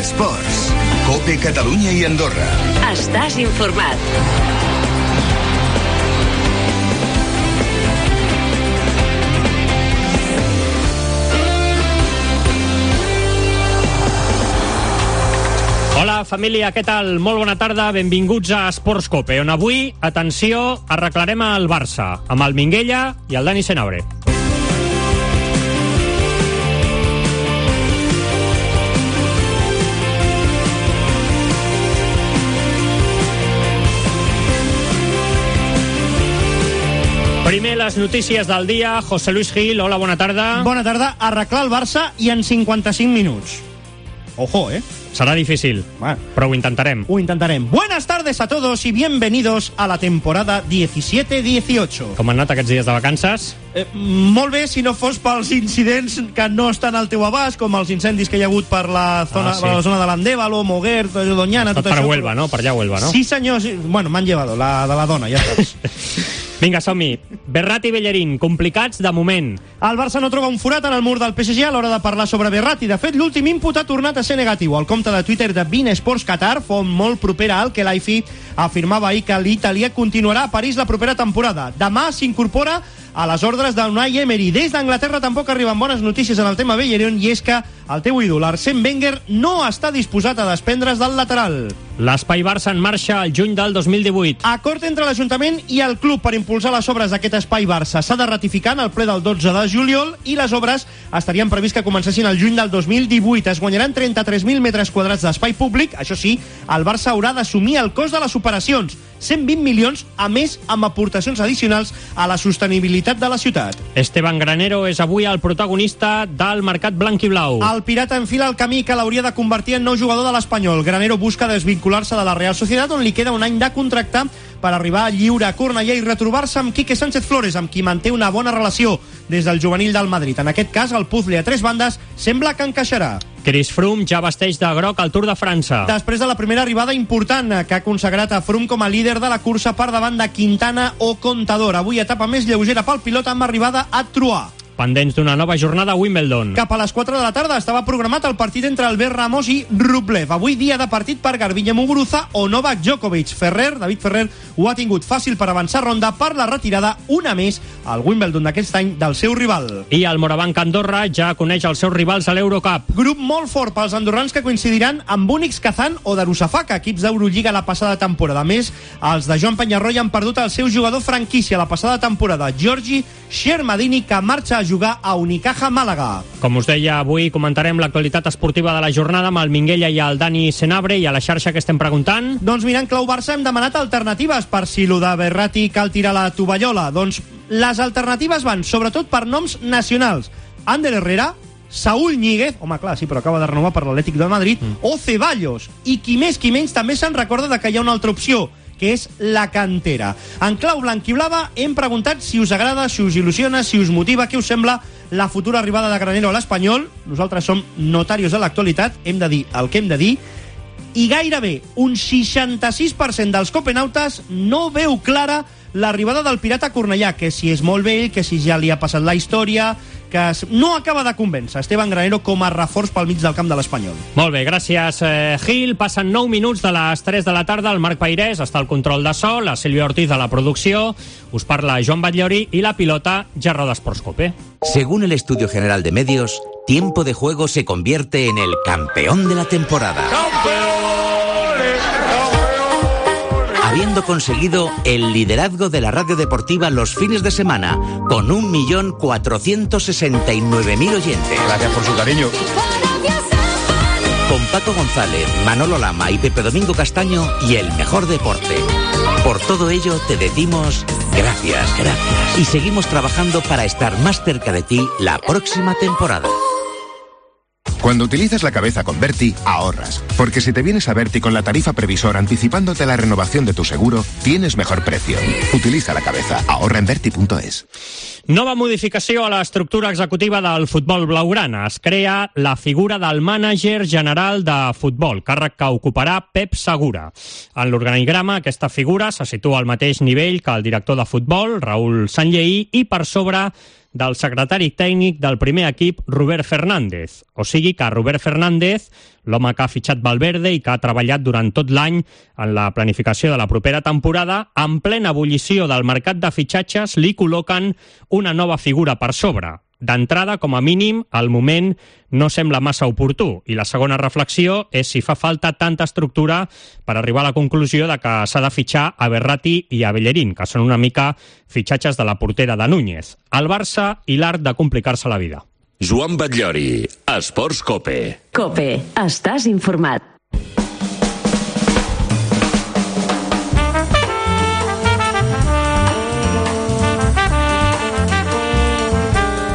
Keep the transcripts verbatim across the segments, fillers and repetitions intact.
Esports. COPE Catalunya i Andorra. Estàs informat. Hola, família, què tal? Molt bona tarda, benvinguts a Esports COPE, on avui, atenció, arreglarem el Barça, amb el Minguella i el Dani Senabre. Primer, les notícies del dia. José Luis Gil, hola, bona tarda. Bona tarda. Arreglar el Barça i en cinquanta-cinc minuts. Ojo, ¿eh? Será difícil, bueno, pero lo intentaremos. Lo intentaremos. Buenas tardes a todos y bienvenidos a la temporada diecisiete dieciocho. Com han anat aquests dies de vacances? Eh, molt bé, si no fos pels incidents que no estan al teu abast, com els incendis que hi ha hagut per la zona, ah, sí. per la zona de l'Andévalo, Moguer, Doñana, tot, tot això. Per Huelva, no? Per allà Huelva, no? Sí, senyor. Sí. Bueno, m'han llevado, la de la dona, ja estàs. Vinga, som-hi. Berratti i Bellerín, complicats de moment. El Barça no troba un forat en el mur del P S G a l'hora de parlar sobre Berratti. De fet, l'últim input ha tornat a ser negatiu. El compte de Twitter de beIN Sports Qatar, font molt propera al Khelaifi, afirmava ahir que l'italià continuarà a París la propera temporada. Demà s'incorpora a les ordres d'Unai Emery. Des d'Anglaterra tampoc arriben bones notícies en el tema Bellerín, i és que el teu ídol, Arsène Wenger, no està disposat a desprendre's del lateral. L'Espai Barça en marxa al juny del dos mil divuit. Acord entre l'Ajuntament i el club per impulsar les obres d'aquest Espai Barça. S'ha de ratificar en el ple del dotze de juliol i les obres estarien previst que comencessin el juny del dos mil divuit. Es guanyaran trenta-tres mil metres quadrats d'espai públic. Això sí, el Barça haurà d'assumir el cost de les operacions. cent vint milions, a més, amb aportacions addicionals a la sostenibilitat de la ciutat. Esteban Granero és avui el protagonista del mercat blanc i blau. El pirata enfila el camí que l'hauria de convertir en nou jugador de l'Espanyol. Granero busca desvincular-se de la Real Sociedad, on li queda un any de contracte, per arribar lliure a Cornellà i retrobar-se amb Quique Sánchez Flores, amb qui manté una bona relació des del juvenil del Madrid. En aquest cas, el puzzle a tres bandes sembla que encaixarà. Chris Froome ja vesteix de groc al Tour de França. Després de la primera arribada important que ha consagrat a Froome com a líder de la cursa per davant de Quintana o Contador. Avui etapa més lleugera pel pilot amb arribada a Troyes. Pendents d'una nova jornada a Wimbledon. Cap a les quatre de la tarda estava programat el partit entre Albert Ramos i Rublev. Avui dia de partit per Garbiñe Muguruza o Novak Djokovic. Ferrer, David Ferrer, ho ha tingut fàcil per avançar ronda per la retirada, una més, al Wimbledon d'aquest any del seu rival. I el Morabanc Andorra ja coneix els seus rivals a l'Eurocup. Grup molt fort pels andorrans que coincidiran amb Únix Kazan o Darussafaka, equips d'Eurolliga la passada temporada. A més, els de Joan Penyarroia han perdut el seu jugador franquícia la passada temporada, Giorgi Shermadini, que marxa a jugar a Unicaja Màlaga. Com us deia, avui comentarem l'actualitat esportiva de la jornada amb el Minguella i el Dani Senabre, i a la xarxa que estem preguntant. Doncs mirant clau Barça hem demanat alternatives per si lo de Berratti cal tirar la tovallola. Doncs les alternatives van sobretot per noms nacionals. Ander Herrera, Saúl Ñíguez, home clar, sí, però acaba de renovar per l'Atlètic de Madrid, mm. o Ceballos. I qui més qui menys també se'n recorda de que hi ha una altra opció, que és la cantera. En clau blanquiblava hem preguntat si us agrada, si us il·lusiona, si us motiva, què us sembla la futura arribada de Granero a l'Espanyol. Nosaltres som notarios de l'actualitat, hem de dir el que hem de dir, i gairebé un seixanta-sis per cent dels copenautes no veu clara l'arribada del pirata a Cornellà, que si és molt vell, que si ja li ha passat la història, que no acaba de convèncer Esteban Granero com a reforç pel mig del camp de l'Espanyol. Molt bé, gràcies, eh, Gil. Passen nou minuts de les tres de la tarda. El Marc Pairés està al control de so, la Sílvia Ortiz a la producció, us parla Joan Batllori i la pilota Gerro d'Esports COPE. Según el Estudio General de Medios, Tiempo de Juego se convierte en el campeón de la temporada. Habiendo conseguido el liderazgo de la radio deportiva los fines de semana, con un millón cuatrocientos sesenta y nueve mil oyentes. Gracias por su cariño. Con Paco González, Manolo Lama y Pepe Domingo Castaño y el mejor deporte. Por todo ello te decimos gracias, gracias. Y seguimos trabajando para estar más cerca de ti la próxima temporada. Cuando utilizas la cabeza con Berti, ahorras. Porque si te vienes a Berti con la tarifa previsor anticipándote la renovación de tu seguro, tienes mejor precio. Utiliza la cabeza. Ahorra en Berti punto es. Nova modificació a l'estructura executiva del futbol blaugrana. Es crea la figura del mànager general de futbol, càrrec que ocuparà Pep Segura. En l'organigrama, aquesta figura se situa al mateix nivell que el director de futbol, Raúl Sanlleí, i per sobre del secretari tècnic del primer equip, Robert Fernández. O sigui que Robert Fernández, l'home que ha fitxat Valverde i que ha treballat durant tot l'any en la planificació de la propera temporada, en plena ebullició del mercat de fitxatges li col·loquen una nova figura per sobre. D'entrada, com a mínim, al moment no sembla massa oportú. I la segona reflexió és si fa falta tanta estructura per arribar a la conclusió de que s'ha de fitxar a Verratti i a Bellerín, que són una mica fitxatges de la portera de Núñez. El Barça i l'art de complicar-se la vida. Joan Batllori, Esports Cope. Cope, estàs informat.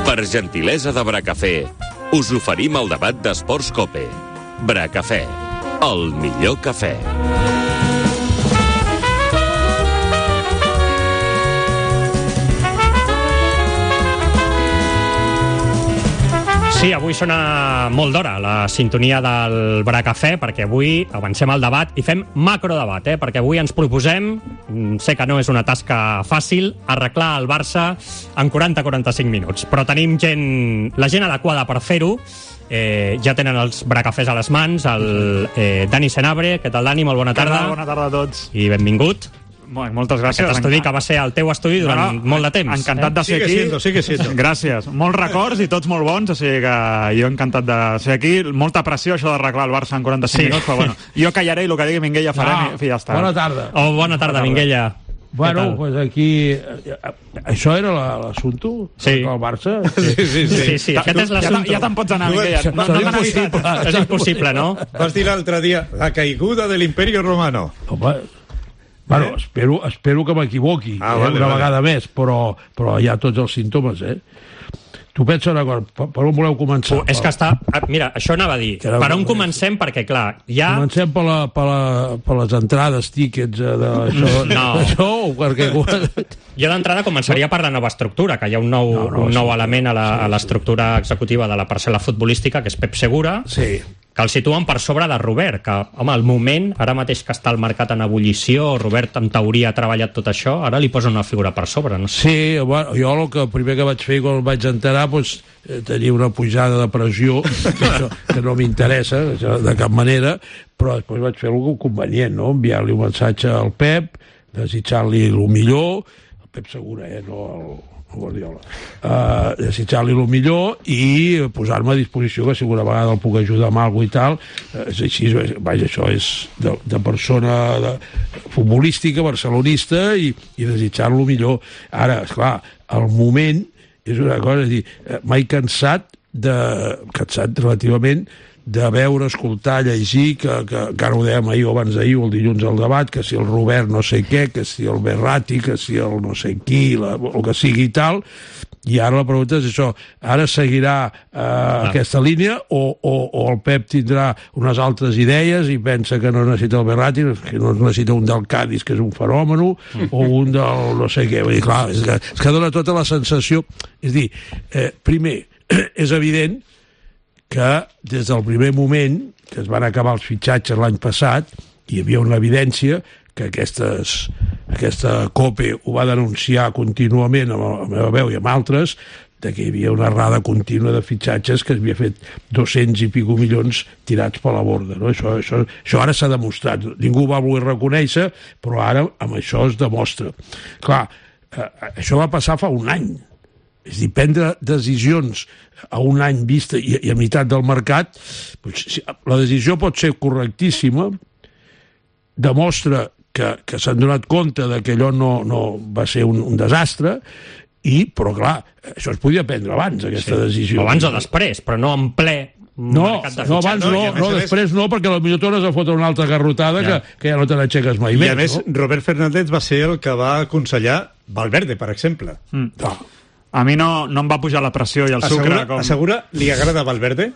Per gentilesa de Bracafé, us oferim el debat d'Esports Cope. Bracafé, el millor cafè. Sí, avui sona molt d'hora la sintonia del Bracafè, perquè avui avancem al debat i fem macrodebat, eh? Perquè avui ens proposem, sé que no és una tasca fàcil, arreglar el Barça en quaranta a quaranta-cinc minuts. Però tenim gent, la gent adequada per fer-ho. Eh, ja tenen els Bracafès a les mans, el eh, Dani Senabre. Què tal, Dani? Molt bona tarda. Bona tarda a tots. I benvingut. Molt, moltes gràcies. Aquest estudi que va ser el teu estudi durant no, no, molt de temps. Encantat de ser sigue aquí. Siendo, sigue siendo. Gràcies. Molts records i tots molt bons, o sigui que jo encantat de ser aquí. Molta pressió, això d'arreglar el Barça en quaranta-cinc sí. minuts, però bueno, jo callaré i el que digui Minguella farem no. i ja està. Bona tarda. Oh, bona tarda, Minguella. Bueno, pues aquí... Això era l'assumpte? Sí. El Barça? Sí, sí, sí. sí, sí. Aquest és l'assumpte. Ja, ja te'n pots anar, Minguella. No, no, no, no, impossible. És impossible, no? Vas dir l'altre dia, la caiguda de l'Imperio Romano. Home, bueno, eh? espero, espero que m'equivoqui ah, eh, vale, una vale. vegada més, però, però hi ha tots els símptomes, eh? Tu pensa una cosa, per, per on voleu començar? Uh, és que està... Mira, això anava a dir. Era per on un... comencem? Perquè, clar, ja... Comencem per, la, per, la, per les entrades, tíquets, eh, d'això, no. d'això, perquè... Jo d'entrada començaria per la nova estructura, que hi ha un nou, no, no, un nou sí, element a la, sí, sí. a l'estructura executiva de la parcel·la futbolística, que és Pep Segura, sí. que el situen per sobre de Robert, que, home, al moment, ara mateix que està el mercat en ebullició, Robert en teoria ha treballat tot això, ara li posa una figura per sobre, no sé. Sí, bueno, jo el que primer que vaig fer quan el vaig enterar, doncs, eh, tenia una pujada de pressió, que, això, que no m'interessa de cap manera, però després vaig fer alguna convenient, no? Enviar-li un missatge al Pep, desitjar-li el millor, el Pep Segura, eh, no el... Guardiola, uh, desitjar-li el millor i posar-me a disposició, que si una vegada el puc ajudar amb alguna i tal, uh, és així, vaja, això és de, de persona de, futbolística, barcelonista, i, i desitjar-lo millor. Ara, esclar, el moment és una cosa, és dir, m'he cansat de, cansat relativament de veure, escoltar, llegir, que, que encara ho dèiem ahir o abans d'ahir o el dilluns al debat, que si el Robert no sé què, que si el Verratti, que si el no sé qui, la, el que sigui i tal, i ara la pregunta és això, ara seguirà eh, ah. aquesta línia o, o, o el Pep tindrà unes altres idees i pensa que no necessita el Verratti, que no necessita un del Cádiz, que és un fenomen, o un del no sé què. Vull dir, clar, és que, és que dona tota la sensació, és dir, eh, primer, és evident que des del primer moment que es van acabar els fitxatges l'any passat hi havia una evidència que aquestes, aquesta COPE ho va denunciar contínuament amb la meva veu i amb altres, de que hi havia una errada contínua de fitxatges que havia fet dos-cents i pico milions tirats per la borda, no? Això, això, això ara s'ha demostrat, ningú ho va voler reconèixer, però ara amb això es demostra. Clar, eh, això va passar fa un any. És dir, prendre decisions a un any vista i, i a meitat del mercat, doncs, la decisió pot ser correctíssima, demostra que, que s'han donat compte de que allò no, no va ser un, un desastre, i, però clar, això es podia prendre abans, aquesta sí. decisió. Abans o després, però no en ple. No, no, abans no, no, després no, perquè potser tornes a fotre una altra garrotada ja. que, que ja no te n'aixeques mai més. I a més, no? Robert Fernández va ser el que va aconsellar Valverde, per exemple. Mm. Ah. A mi no, no em va pujar la pressió i el assegura, sucre. Com... Assegura, li agrada Valverde?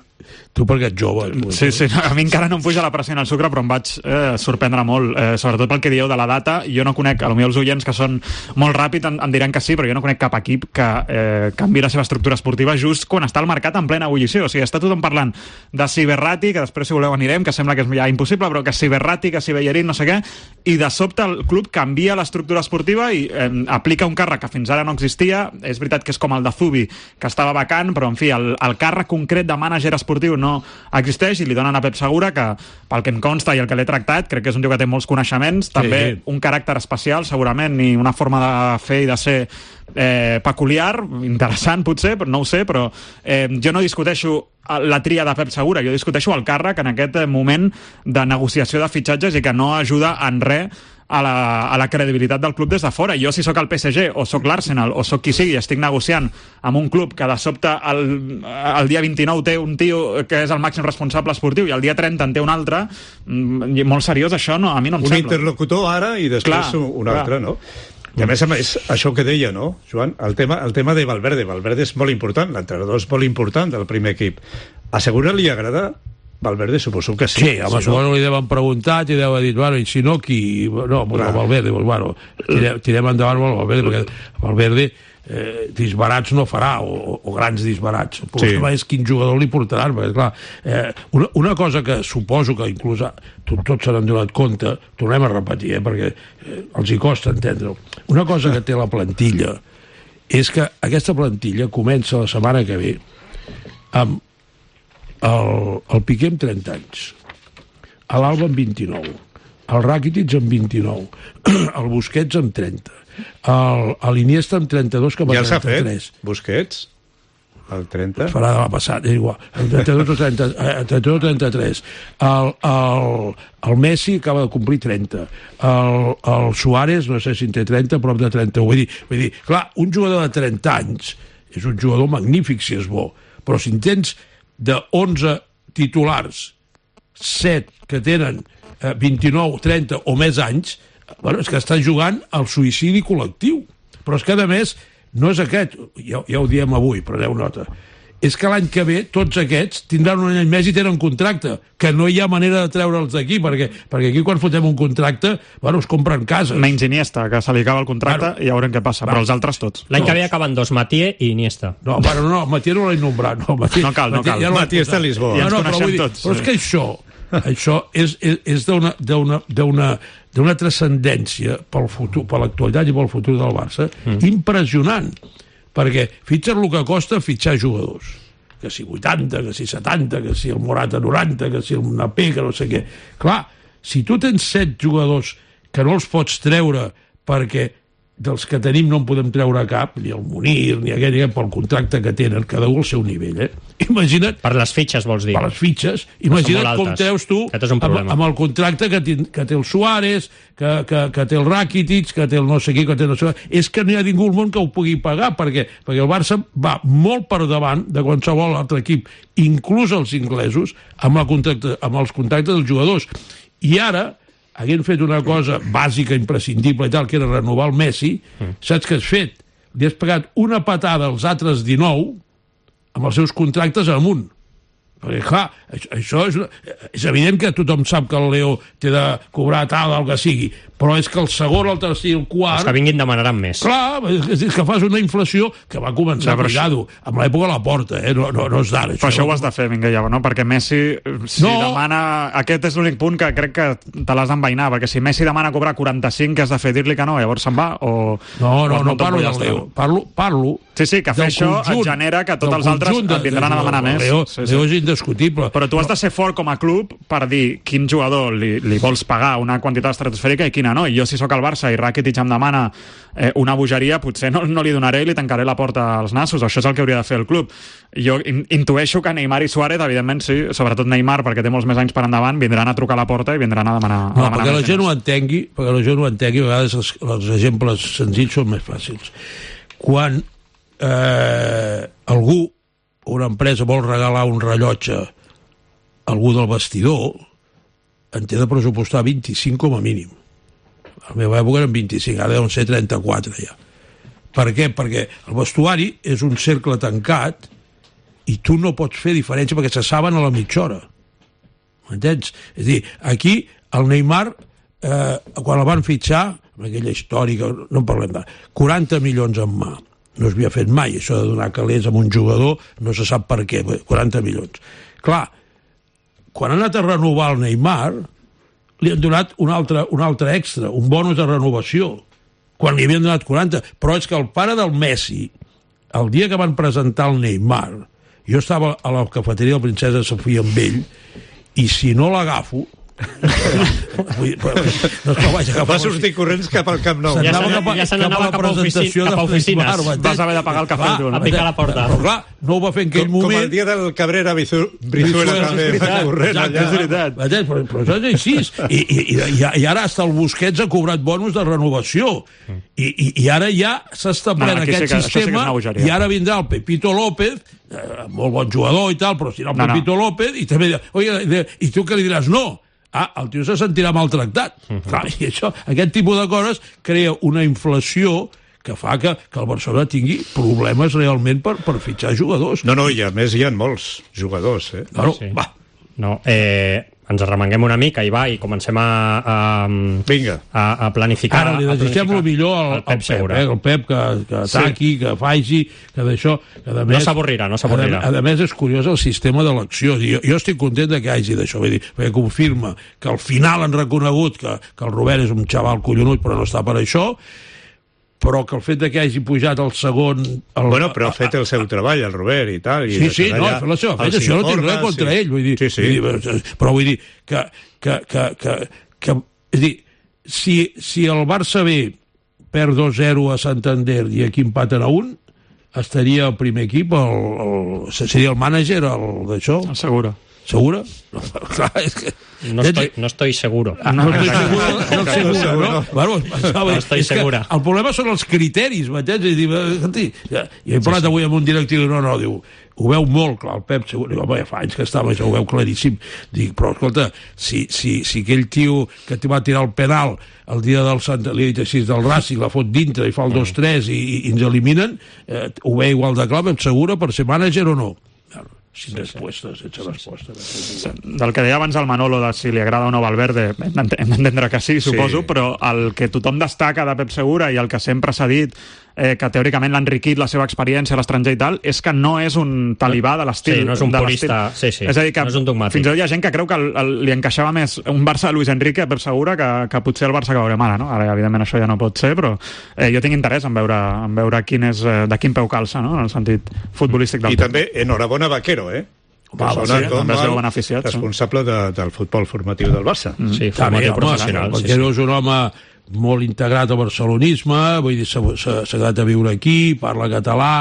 Tu perquè ets jove. Sí, sí, a mi encara no em puja la pressió en el sucre, però em vaig eh, sorprendre molt, eh, sobretot pel que dieu de la data. Jo no conec, potser els oients que són molt ràpids em, em diran que sí, però jo no conec cap equip que eh, canvi la seva estructura esportiva just quan està al mercat en plena ebullició. O sigui, està tothom parlant de si Berratti, que després si voleu anirem, que sembla que és ja impossible, però que si Berratti, que si Bellerín, no sé què, i de sobte el club canvia l'estructura esportiva i eh, aplica un càrrec que fins ara no existia. És veritat que és com el de Zubi, que estava vacant, però en fi, el, el càrrec concret de mànager esportiu no existeix i li donen a Pep Segura, que pel que em consta i el que l'he tractat, crec que és un tio que té molts coneixements, sí, també un caràcter especial segurament i una forma de fer i de ser eh, peculiar, interessant potser, però no ho sé, però eh, jo no discuteixo la tria de Pep Segura, jo discuteixo el càrrec en aquest moment de negociació de fitxatges i que no ajuda en res a la, a la credibilitat del club des de fora. Jo, si sóc el P S G, o sóc l'Arsenal, o sóc qui sigui, estic negociant amb un club que de sobte el, el dia vint-i-nou té un tio que és el màxim responsable esportiu i el dia trenta en té un altre, molt seriós això, no, a mi no em un sembla. Un interlocutor ara i després clar, un altre, clar. No? I a més a més, això que deia, no, Joan? El tema, el tema de Valverde. Valverde és molt important, l'entrenador és molt important del primer equip. A Segura li agrada Valverde, suposo que sí. Sí, home, si suposo no... li deuen preguntat i deu haver dit, bueno, i si no, qui... No, pues el Valverde, pues, bueno, tirem, tirem endavant amb el Valverde, perquè Valverde eh, disbarats no farà, o, o grans disbarats. El problema sí. És quin jugador li portaran, perquè, clar, eh, una, una cosa que suposo que inclús tot, tots se n'han donat compte, tornem a repetir, eh, perquè eh, els hi costa entendre-ho. Una cosa que té la plantilla és que aquesta plantilla comença la setmana que ve amb el, el Piqué amb trenta anys, l'Alba amb vint-i-nou, el Rakitic amb vint-i-nou, el Busquets amb trenta, l'Iniesta amb trenta-dos coma trenta-tres. Ja s'ha fet, Busquets, el trenta? Es farà de la passada, és igual, el trenta-dos o trenta, trenta-dos o trenta-tres. El, el, el Messi acaba de complir trenta, el, el Suárez, no sé si en té trenta, prop de trenta. Vull dir, vull dir, clar, un jugador de trenta anys és un jugador magnífic si és bo, però si en tens de onze titulars, set que tenen eh, vint-i-nou, trenta o més anys, bueno, és que estan jugant al suïcidi col·lectiu. Però és que, a més, no és aquest, ja, ja ho diem avui, preneu nota, és que l'any que ve tots aquests tindran un any més i tenen contracte, que no hi ha manera de treure'ls d'aquí, perquè, perquè aquí quan fotem un contracte, bueno, es compren cases. Menys Iniesta, que se li acaba el contracte, bueno, i ja veurem què passa, bueno, però els altres tots. L'any que ve acaben dos, Matié i Iniesta. No, bueno, no, Matié no l'he nombrat. No, Matié, no cal, no cal. Ja Matié està a Lisboa. Ja ens no, coneixem dir, tots. Però és que això, això és, és, és d'una, d'una, d'una, d'una transcendència pel futur, per l'actualitat i pel futur del Barça, mm. impressionant, perquè fitxar el que costa fitxar jugadors. Que si vuitanta, que si setanta, que si el Morata noranta, que si el Napé, que no sé què. Clar, si tu tens set jugadors que no els pots treure perquè dels que tenim no en podem treure cap, ni el Munir, ni aquell, ni pel contracte que tenen, cada un al seu nivell, eh? Imagina't... Per les fitxes, vols dir? Per les fitxes. Imagina't com treus tu amb, amb el contracte que, que té el Suárez, que, que, que té el Rakitic, que té el no sé qui, que té el no sé què. És que no hi ha ningú al món que ho pugui pagar, perquè, perquè el Barça va molt per davant de qualsevol altre equip, inclús els inglesos, amb, la contracte, amb els contractes dels jugadors. I ara haguent fet una cosa bàsica, imprescindible i tal, que era renovar el Messi, mm. saps què has fet? Li has pagat una patada als altres dinou amb els seus contractes amunt. Perquè, clar, això és, és evident que tothom sap que el Leo té de cobrar tal, el que sigui, però és que el segon, el tercer i el quart... Els que vinguin demanaran més. Clar, és que fas una inflació que va començar, no, cuidado, amb l'època de la porta, eh? no, no, no és d'ara. Però això ho has de fer, Minguella, no? Perquè Messi, si no. demana... Aquest és l'únic punt que crec que te l'has d'envainar, perquè si Messi demana cobrar quaranta-cinc, què has de fer? Dir-li que no, llavors se'n va? O... No, no, no, no parlo del Leo, parlo, parlo... Sí, sí, que fer això et genera que tots els altres et vindran a demanar més. Leo, sí, sí. Leo és indiscutible. Però tu has de ser fort com a club per dir quin jugador li, li vols pagar una quantitat estratosfèrica i quina no. I jo, si sóc al Barça i Rakitic em demana eh, una bogeria, potser no, no li donaré i li tancaré la porta als nassos. Això és el que hauria de fer el club. Jo in, intueixo que Neymar i Suárez, evidentment sí, sobretot Neymar, perquè té molts més anys per endavant, vindran a trucar a la porta i vindran a demanar... No, a demanar perquè la gent ho entengui, perquè la gent ho entengui, a vegades els, els exemples senzills són més fàcils. Quan eh, algú, una empresa, vol regalar un rellotge a algú del vestidor, en té de pressupostar vint-i-cinc com a mínim. A la meva època eren vint-i-cinc, ara deuen ser trenta-quatre ja. Per què? Perquè el vestuari és un cercle tancat i tu no pots fer diferència perquè se saben a la mitja hora. M'entens? És a dir, aquí el Neymar, eh, quan el van fitxar, amb aquella històrica, no en parlem de quaranta milions en mà. No es havia fet mai, això de donar calés a un jugador, no se sap per què, quaranta milions. Clar, quan han anat a renovar el Neymar, li han donat un altre, un altre extra, un bonus de renovació, quan li havien donat quaranta. Però és que el pare del Messi, el dia que van presentar el Neymar, jo estava a la cafeteria de la Princesa Sofia amb ell, i si no l'agafo, vull, no es vaig agafar, va sortir corrents cap al Camp Nou. Ja se n'anava cap, cap, cap a oficines. Vas haver de pagar el cafè. Va, a picar la porta. Però clar, no ho va fer en aquell com, moment. Com el dia del Cabrera Brizuela també va corrent allà. És veritat. Però, però això és així. I, i, i, I ara hasta el Busquets ha cobrat bonus de renovació. I, i, i ara ja s'ha establert no, aquest sí que, sistema sí i ara vindrà el Pepito López, eh, molt bon jugador i tal, però si no el no, Pepito no. López, i també dirà, oye, i tu què li diràs? No. Ah, el tio se sentirà maltractat. Uh-huh. Clar, i això, aquest tipus de coses crea una inflació que fa que, que el Barcelona tingui problemes realment per, per fitxar jugadors. No, no, i a més hi ha molts jugadors, eh? Claro, sí. Va. No, eh, ens arremanguem una mica i va, i comencem a, a, Vinga. a, a planificar. Ara li desitgem el millor al, al Pep, Pep, eh? el Pep que, que ataqui, sí. que faci, que d'això... Que més, no s'avorrirà, no s'avorrirà. A, a més és curiós el sistema d'elecció. Jo, jo estic content que hagi d'això, vull dir, perquè confirma que al final han reconegut que, que el Robert és un xaval collonut però no està per això, però que el fet de que hagi pujat el segon... El, bueno, però ha fet el seu treball, el Robert, i tal. I sí, sí, no, ha fet la seva feina, això no tinc res contra sí. ell, vull dir, sí, sí. vull dir, però vull dir que, que, que, que, que és dir, si, si el Barça B perd dos zero a Santander i aquí empaten a un, estaria el primer equip, el, el, seria el mànager, el d'això? El Segura. Segura? No, clar, és que... No estoy, no estoy seguro. Ah, no, no estoy seguro, no, no, seguro, no? no. Bueno, no estoy segura. El problema són els criteris, m'entens? I diu, escolti, ja, ja he parlat sí, sí. avui amb un directiu, no, no, diu, ho veu molt clar, el Pep, segur, diu, home, ja fa anys que estava, això ho veu claríssim. Dic, però, escolta, si, si, si aquell tio que t'hi va tirar el penal el dia del Sant Eliot així del Racing, la fot dintre i fa el dos tres i, i, i ens eliminen, eh, ho veu igual de clar, Pep Segura, per ser mànager o no? Sin respuestas, sense respostes. Sí. Del que deia abans el Manolo de si li agrada o no Valverde, hem d'entendre que sí, suposo, sí. Però el que tothom destaca de Pep Segura i el que sempre s'ha dit eh, que teòricament l'ha enriquit la seva experiència a l'estranger i tal, és que no és un talibà de l'estil. Sí, no és un purista, sí, sí. És a dir, que no és un dogmàtic. Fins i tot hi ha gent que creu que el, el, li encaixava més un Barça de Luis Enrique a Pep Segura que, que potser el Barça que veurem ara, no? Ara, evidentment, això ja no pot ser, però eh, jo tinc interès en veure, en veure quin és, eh, de quin peu calça, no? En el sentit futbolístic del I Pep. també, enhorabona Vaquero, eh? Va, va, sí, també es veu beneficiat. Responsable de, del futbol formatiu del Barça. Mm. Sí, formatiu professional. Vaquero és un home molt integrat al barcelonisme, vull dir, s'ha quedat a viure aquí, parla català,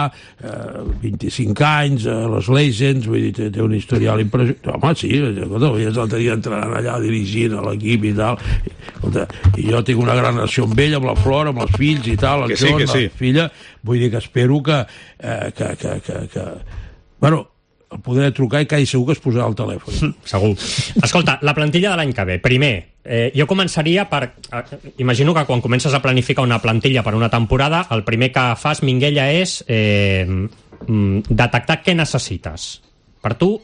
eh, vint-i-cinc anys, eh, les Legends, vull dir, té, té un historial impressionant. Home, sí, escolta, l'altre dia entrant allà dirigint a l'equip i tal. Escolta, i jo tinc una gran relació amb ell, amb la Flor, amb els fills i tal, el John, sí, sí. la filla. Vull dir que espero que... Eh, que, que, que, que... Bueno, el podré trucar i quasi segur que es posarà al telèfon. Mm, segur. Escolta, la plantilla de l'any que ve. Primer, eh, jo començaria per... Eh, imagino que quan comences a planificar una plantilla per una temporada, el primer que fas, Minguella, és eh, detectar què necessites. Per tu,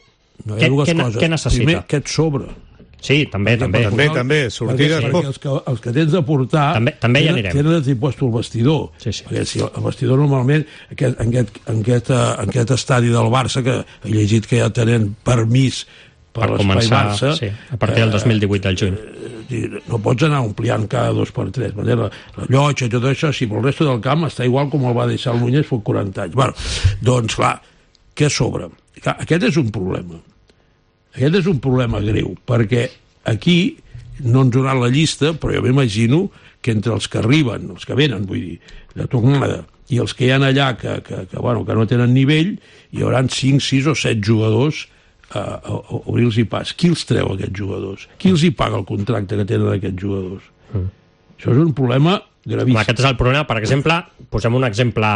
no, què, què, què necessites? Primer, què et sobra? Sí, també, també. També, també, sortides... Perquè, perquè els, que, els que tens de portar... També, també hi anirem. Tenen d'impost el vestidor. Sí, sí. Perquè si el vestidor normalment, aquest, en, aquest, en, aquest, en aquest estadi del Barça, que he llegit que ja tenen permís per, per l'espai Barça... Sí, a partir del dos mil divuit del juny. Eh, no pots anar ampliant cada dos per tres. La, la llotja i tot això, sí, però el resto del camp està igual com el va deixar el Núñez fa quaranta anys. Bueno, doncs, clar, què sobra? Clar, aquest és un problema. Aquest és un problema greu, perquè aquí no ens donaran la llista, però jo m'imagino que entre els que arriben, els que venen, vull dir, de tornada, i els que hi ha allà que, que, que, bueno, que no tenen nivell, hi haurà cinc, sis o set jugadors a, a, a obrir-los pas. Qui els treu, aquests jugadors? Qui els hi paga el contracte que tenen aquests jugadors? Mm. Això és un problema gravíssim. Aquest és el problema. Per exemple, posem un exemple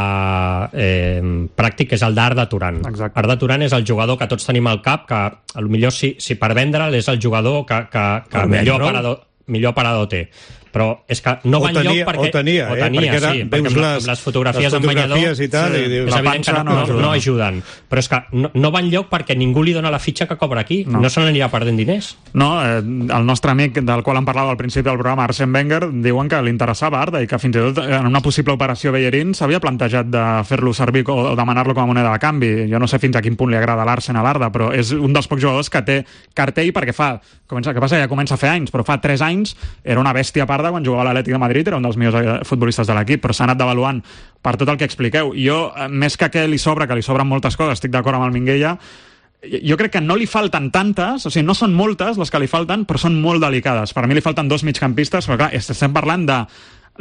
eh, pràctic, que és el d'Arda Turan. Exacte. Arda Turan és el jugador que tots tenim al cap, que potser si, si per vendre'l és el jugador que, que, que millor, aparador, millor aparador té. però és que no va tenia, enlloc perquè... o tenia, eh? o tenia perquè era, sí, veus perquè amb, les, amb les fotografies les en banyador fotografies i tal, sí, i dius, és evident que no, no, no, no ajuden, però és que no, no va enlloc perquè ningú li dona la fitxa que cobra aquí, no, no se n'anirà perdent diners. No, eh, el nostre amic del qual em parlava al principi del programa, Arsène Wenger, diuen que li interessava Arda i que fins i tot en una possible operació Bellerín s'havia plantejat de fer-lo servir o, o demanar-lo com a moneda de canvi. Jo no sé fins a quin punt li agrada l'Arsenal a l'Arda, però és un dels pocs jugadors que té cartell perquè fa, comença, que passa ja comença a fer anys, però fa tres anys era una bèstia parda quan jugava a l'Atlètic de Madrid, era un dels millors futbolistes de l'equip, però s'ha anat devaluant per tot el que expliqueu. Jo, més que que li sobra, que li sobren moltes coses, estic d'acord amb el Minguella, jo crec que no li falten tantes, o sigui, no són moltes les que li falten, però són molt delicades. Per mi li falten dos migcampistes, però clar, estem parlant de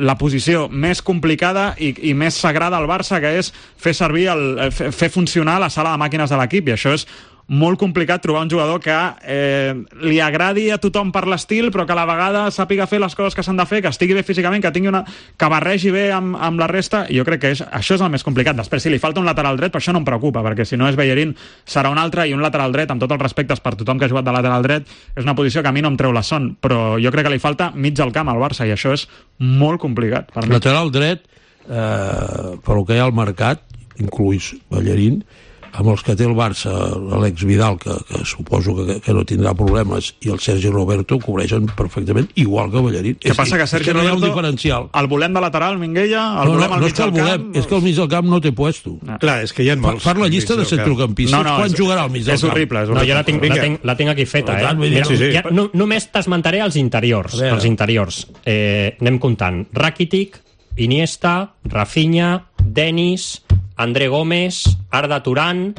la posició més complicada i, i més sagrada al Barça, que és fer servir, el, fer funcionar la sala de màquines de l'equip, i això és molt complicat trobar un jugador que eh, li agradi a tothom per l'estil, però que a la vegada sàpiga fer les coses que s'han de fer, que estigui bé físicament, que tingui una... que barregi bé amb, amb la resta, i jo crec que és, això és el més complicat. Després, si li falta un lateral dret, per això no em preocupa, perquè si no és Bellerín, serà un altre, i un lateral dret, amb tots els respectes per tothom que ha jugat de lateral dret, és una posició que a mi no em treu la son, però jo crec que li falta mig al camp al Barça, i això és molt complicat. Per mi. Lateral dret, eh, pel que hi ha al mercat, incluís Bellerín, amb els que té el Barça, l'Àlex Vidal, que, que suposo que, que no tindrà problemes, i el Sergi Roberto cobreixen perfectament igual que Bellerín. Què passa que Sergi no Roberto, diferencial. El volem de lateral, Minguella, el no, volem no, al no mig és que el del volem, camp... és que al mig del camp no té puesto. No. Clar, és que hi ha molts... Fa la llista de centrocampistes, no, no, quan és, jugarà al mig del és camp? Horrible, és horrible. No, jo la tinc, la tinc, la tinc aquí feta, eh? Mira, sí, sí. Ja, no, només t'esmentaré els interiors. Els interiors. Eh, anem comptant. Rakitic, Iniesta, Rafinha, Denis, André Gómez, Arda Turan...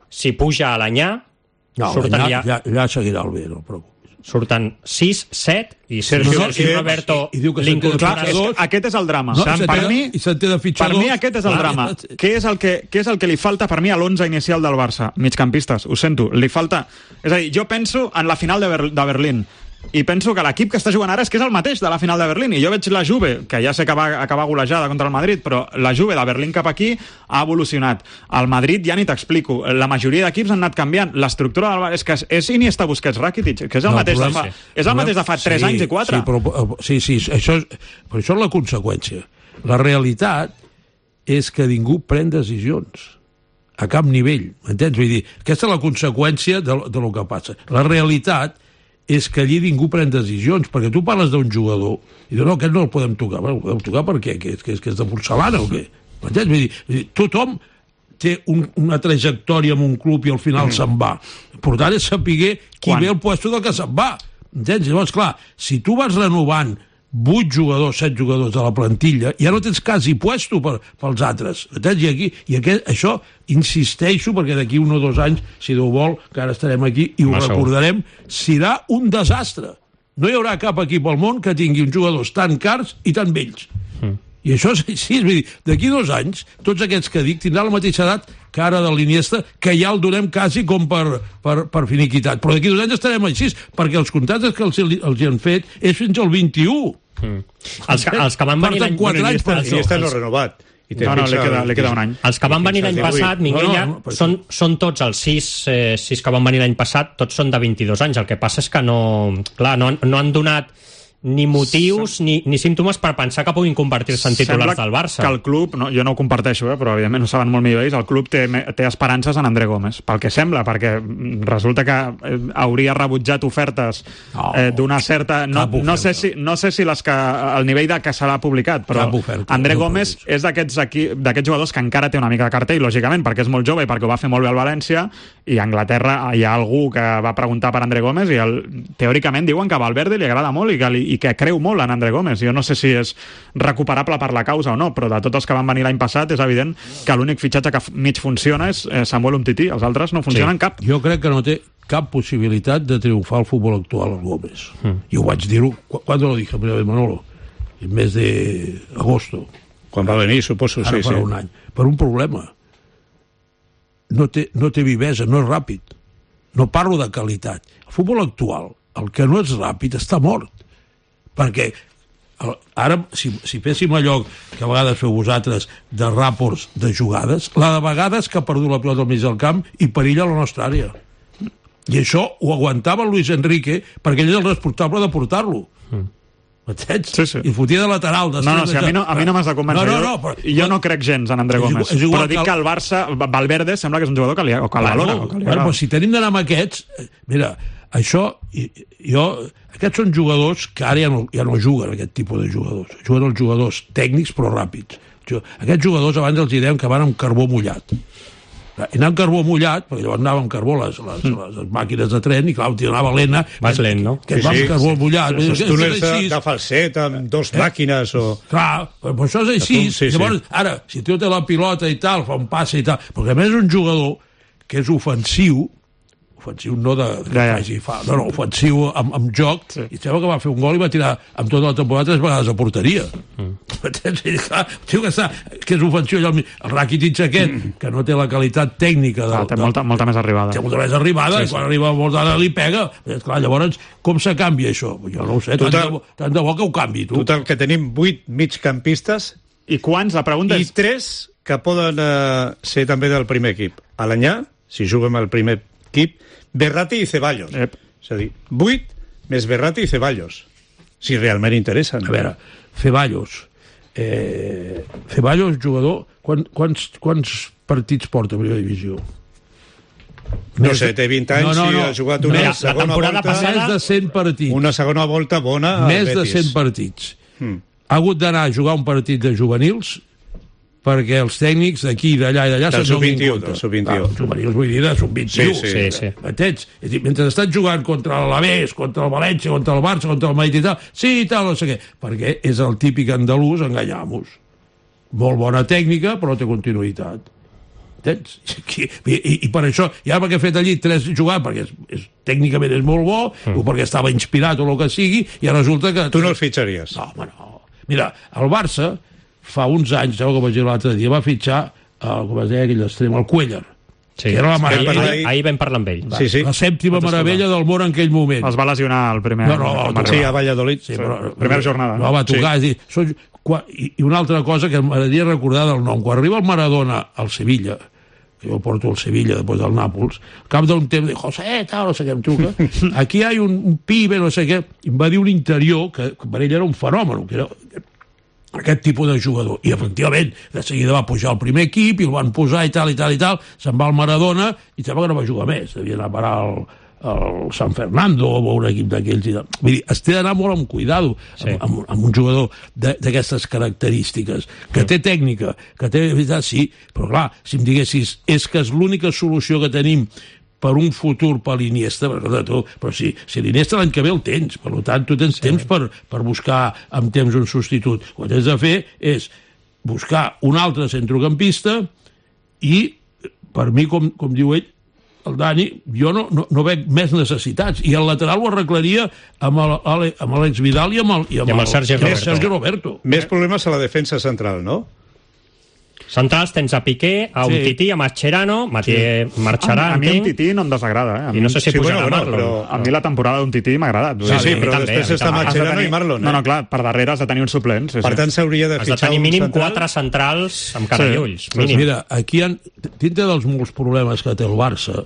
Si puja a l'Anyà, no, surten ja... Ja, ja seguirà el bé, no preocupis. Surten sis, set, i Sergio no, Sergio Roberto... I, i diu que se'n té de fitxadors... Aquest és el drama. No, per, mi, I se'n té de fitxadors... per mi aquest és el drama. Què és el que, què és el que li falta per mi a l'onze inicial del Barça? Migcampistes, ho sento, li falta... És a dir, jo penso en la final de, Ber de Berlín, i penso que l'equip que està jugant ara és que és el mateix de la final de Berlín, i jo veig la Juve, que ja sé que va acabar golejada contra el Madrid, però la Juve de Berlín cap aquí ha evolucionat. El Madrid ja ni t'explico, la majoria d'equips han anat canviant, l'estructura del Barça és que és Iniesta, Busquets, Rakitic, que és el no, mateix de fa, sí. és el mateix de fa tres sí, anys i quatre. Sí, però, sí, sí, això és, però això és la conseqüència. La realitat és que ningú pren decisions a cap nivell, m'entens? Vull dir, aquesta és la conseqüència de, de lo que passa. La realitat és que allí ningú pren decisions, perquè tu parles d'un jugador i dius, no, aquest no el podem tocar. Bueno, el podem tocar per què? Que és, que és, que és de porcelana o què? M'entens? Vull dir, vull dir, tothom té un, una trajectòria en un club i al final mm. se'n va. L'important és saber qui Quan? ve al puesto del que se'n va. Entens? Llavors, clar, si tu vas renovant vuit jugadors, set jugadors de la plantilla, ja no tens quasi puesto per, pels altres. Entens? I, aquí, i aquest, això insisteixo, perquè d'aquí un o dos anys, si Déu vol, que ara estarem aquí i ho Massa recordarem, serà un desastre. No hi haurà cap equip al món que tingui uns jugadors tan cars i tan vells. Mm. I això és així, és dir, d'aquí dos anys, tots aquests que dic tindran la mateixa edat que ara de l'Iniesta, que ja el donem quasi com per, per, per finiquitat. Però d'aquí dos anys estarem així, perquè els contractes que els, els han fet és fins al vint-i-u. Mm. Els, que, els que van venir l'any... Bueno, Iniesta no ha renovat. I no, no, li queda, li queda un any. Els que van venir l'any passat, Minguella, no, no, no, són, són tots els sis, eh, sis que van venir l'any passat, tots són de vint-i-dos anys. El que passa és que no... Clar, no, no han donat ni motius ni, ni símptomes per pensar que puguin convertir-se en titulars del Barça. Sembla que el club, no, jo no ho comparteixo, eh, però evidentment ho saben molt millor ells, el club té, té esperances en André Gómez, pel que sembla, perquè resulta que eh, hauria rebutjat ofertes eh, d'una certa... No, no, sé si, no sé si les que, el nivell de que se l'ha publicat, però oferta, André no Gómez és d'aquests jugadors que encara té una mica de cartell, lògicament, perquè és molt jove i perquè ho va fer molt bé al València, i a Anglaterra hi ha algú que va preguntar per André Gómez i el, teòricament diuen que a Valverde li agrada molt i que li i que creu molt en André Gómez. Jo no sé si és recuperable per la causa o no, però de tots els que van venir l'any passat és evident que l'únic fitxatge que mig funciona és Samuel Umtiti, els altres no funcionen sí. cap. Jo crec que no té cap possibilitat de triomfar al futbol actual el Gómez. Mm. Jo ho vaig dir-ho, quan lo dije primera vez, Manolo? En mes de agosto. Quan va venir, suposo, Ara sí, per sí. un any. Per un problema. No té, no té vivesa, no és ràpid. No parlo de qualitat. El futbol actual, el que no és ràpid, està mort. Perquè ara, si, si féssim allò que a vegades feu vosaltres de ràports de jugades, la de vegades que ha perdut la pilota al mig del camp i perilla la nostra àrea. I això ho aguantava Luis Enrique perquè ell és el responsable de portar-lo. Mm. M'entens? Sí, sí. I fotia de lateral. No, no, si a mi no, a mi no m'has de convèncer. No, no, no, però, jo no crec gens en André és Gómez. igual, és igual però dic que que el- el Barça, Valverde, sembla que és un jugador que li, o que el valora. Bueno, O que li bueno, agrada. però si tenim d'anar amb aquests... eh, Mira, això... i- Jo, aquests són jugadors que ara ja no, ja no juguen, aquest tipus de jugadors. Juguen els jugadors tècnics però ràpids. Jo- Aquests jugadors abans els dèiem que van amb carbó mullat. I anar amb carbó mullat, perquè llavors anava amb carbó les, les, les, les màquines de tren, i clar, anava lent, Vas lent, no? que et va amb carbó mullat. Vull dir, Els que túnels és de, així. de falset amb dos màquines o... Clar, però això és així. Sí, sí. Llavors, ara, si tu té la pilota i tal, fa un passe i tal, perquè a més és un jugador que és ofensiu, ofensiu no de, de Ja, ja. faci fa, no, no, ofensiu amb, amb joc, Sí. i sembla que va fer un gol i va tirar amb tota la temporada tres vegades a porteria. Mm. Clar, tio, que, està, que és ofensiu allò, el Rakitic aquest, que no té la qualitat tècnica de, Ah, té molta, molta més arribada. té molta més arribada, Sí, i sí. quan arriba a Bordana li pega. Clar, llavors, com se canvia això? Jo no ho sé, tant, Total- de, bo- tant de bo que ho canvi, tu. Total, que tenim vuit migcampistes I quants, la pregunta i és... tres que poden eh, ser també del primer equip. Alanyà, si juguem al primer equip, Berratti i Ceballos. Ep. És a dir, vuit més Berratti i Ceballos. Si realment interessen. A veure, Ceballos. Eh, Ceballos, jugador, quan, quants, quants partits porta a primera divisió? No sé, té vint anys No, no, no. i ha jugat una Mira, la segona temporada volta... passada- Més de cent partits. Una segona volta bona al Més de Betis. cent partits. Mm. Ha hagut d'anar a jugar un partit de juvenils perquè els tècnics d'aquí, d'allà i d'allà Del se'n donin sub vint-i-u, compte. del sub vint-i-u. Ah, juvenils, vull dir, de sub vint-i-u. Sí, sí, sí. M'entens? És a dir, mentre estàs jugant contra l'Alavés, contra el València, contra el Barça, contra el Madrid i tal, sí, i tal, no sé què, perquè és el típic andalús, enganyamos. Molt bona tècnica, però no té continuïtat. Entens? I, i, i per això, ja perquè ha fet allí tres jugades, perquè és, és, tècnicament és molt bo, mm. o perquè estava inspirat o el que sigui, i resulta que... Tu no els fitxaries? No, home, no. Mira, el Barça, fa uns anys, sabeu que vaig dir l'altre dia, va fitxar, el, com es deia aquell extrem, el Cuellar, Sí. que era la ahir, meravella, ahir, ahir vam parlar amb ell. Sí, sí. la sèptima meravella del món en aquell moment. Es va lesionar el primer... No, no, el no, Sí, a Valladolid. Sí, però, primera jornada. No, va tocar, sí. És dir, són, quan, i, i una altra cosa que m'agradaria recordar del nom. Quan arriba el Maradona al Sevilla, que jo porto al Sevilla després del Nàpols, al cap d'un temps, dic, José, tal, no sé què em truca, aquí hi ha un, un pibe, no sé què, i em va dir un interior que, que per ell era un fenomen, que era aquest tipus de jugador. I, efectivament, de seguida va pujar al primer equip i el van posar i tal, i tal, i tal, se'n va al Maradona i sembla que no va jugar més. Devia anar a parar al, al San Fernando o un equip d'aquells i tal. Vull dir, es té d'anar molt amb cuidado Sí. amb, amb, amb un jugador d'aquestes característiques, que té tècnica, que té... Sí, però clar, si em diguessis és que és l'única solució que tenim per un futur per l'Iniesta, però, tu, però si, si l'Iniesta l'any que ve el tens, per tant tu tens temps per, per buscar amb temps un substitut. El que tens de fer és buscar un altre centrocampista i, per mi, com, com diu ell, el Dani, jo no, no, no veig més necessitats. I el lateral ho arreglaria amb el- Ale- amb l'Àlex Vidal i amb el, i amb I amb el Sergi i amb Roberto. Sergi Roberto. Més problemes a la defensa central, no? Centrals tens a Piqué, a Sí. Umtiti, a Mascherano, Matié marxarà, A, a mi un entenc, Tití no em desagrada, eh? A i mi, no sé si Sí, pujarà bueno, Marlon. bueno, a mi la temporada d'un Tití m'ha agradat. Sí, sí, a mi però també, després a mi està també. Has de Mascherano tenir- i Marlon, eh? No, no, clar, per darrere has de tenir un suplent. Sí, Per sí. tant, s'hauria de Has de fitxar tenir un mínim central. quatre centrals amb cara Sí. i ulls, Sí, mínim. Mira, aquí, han, dintre dels molts problemes que té el Barça,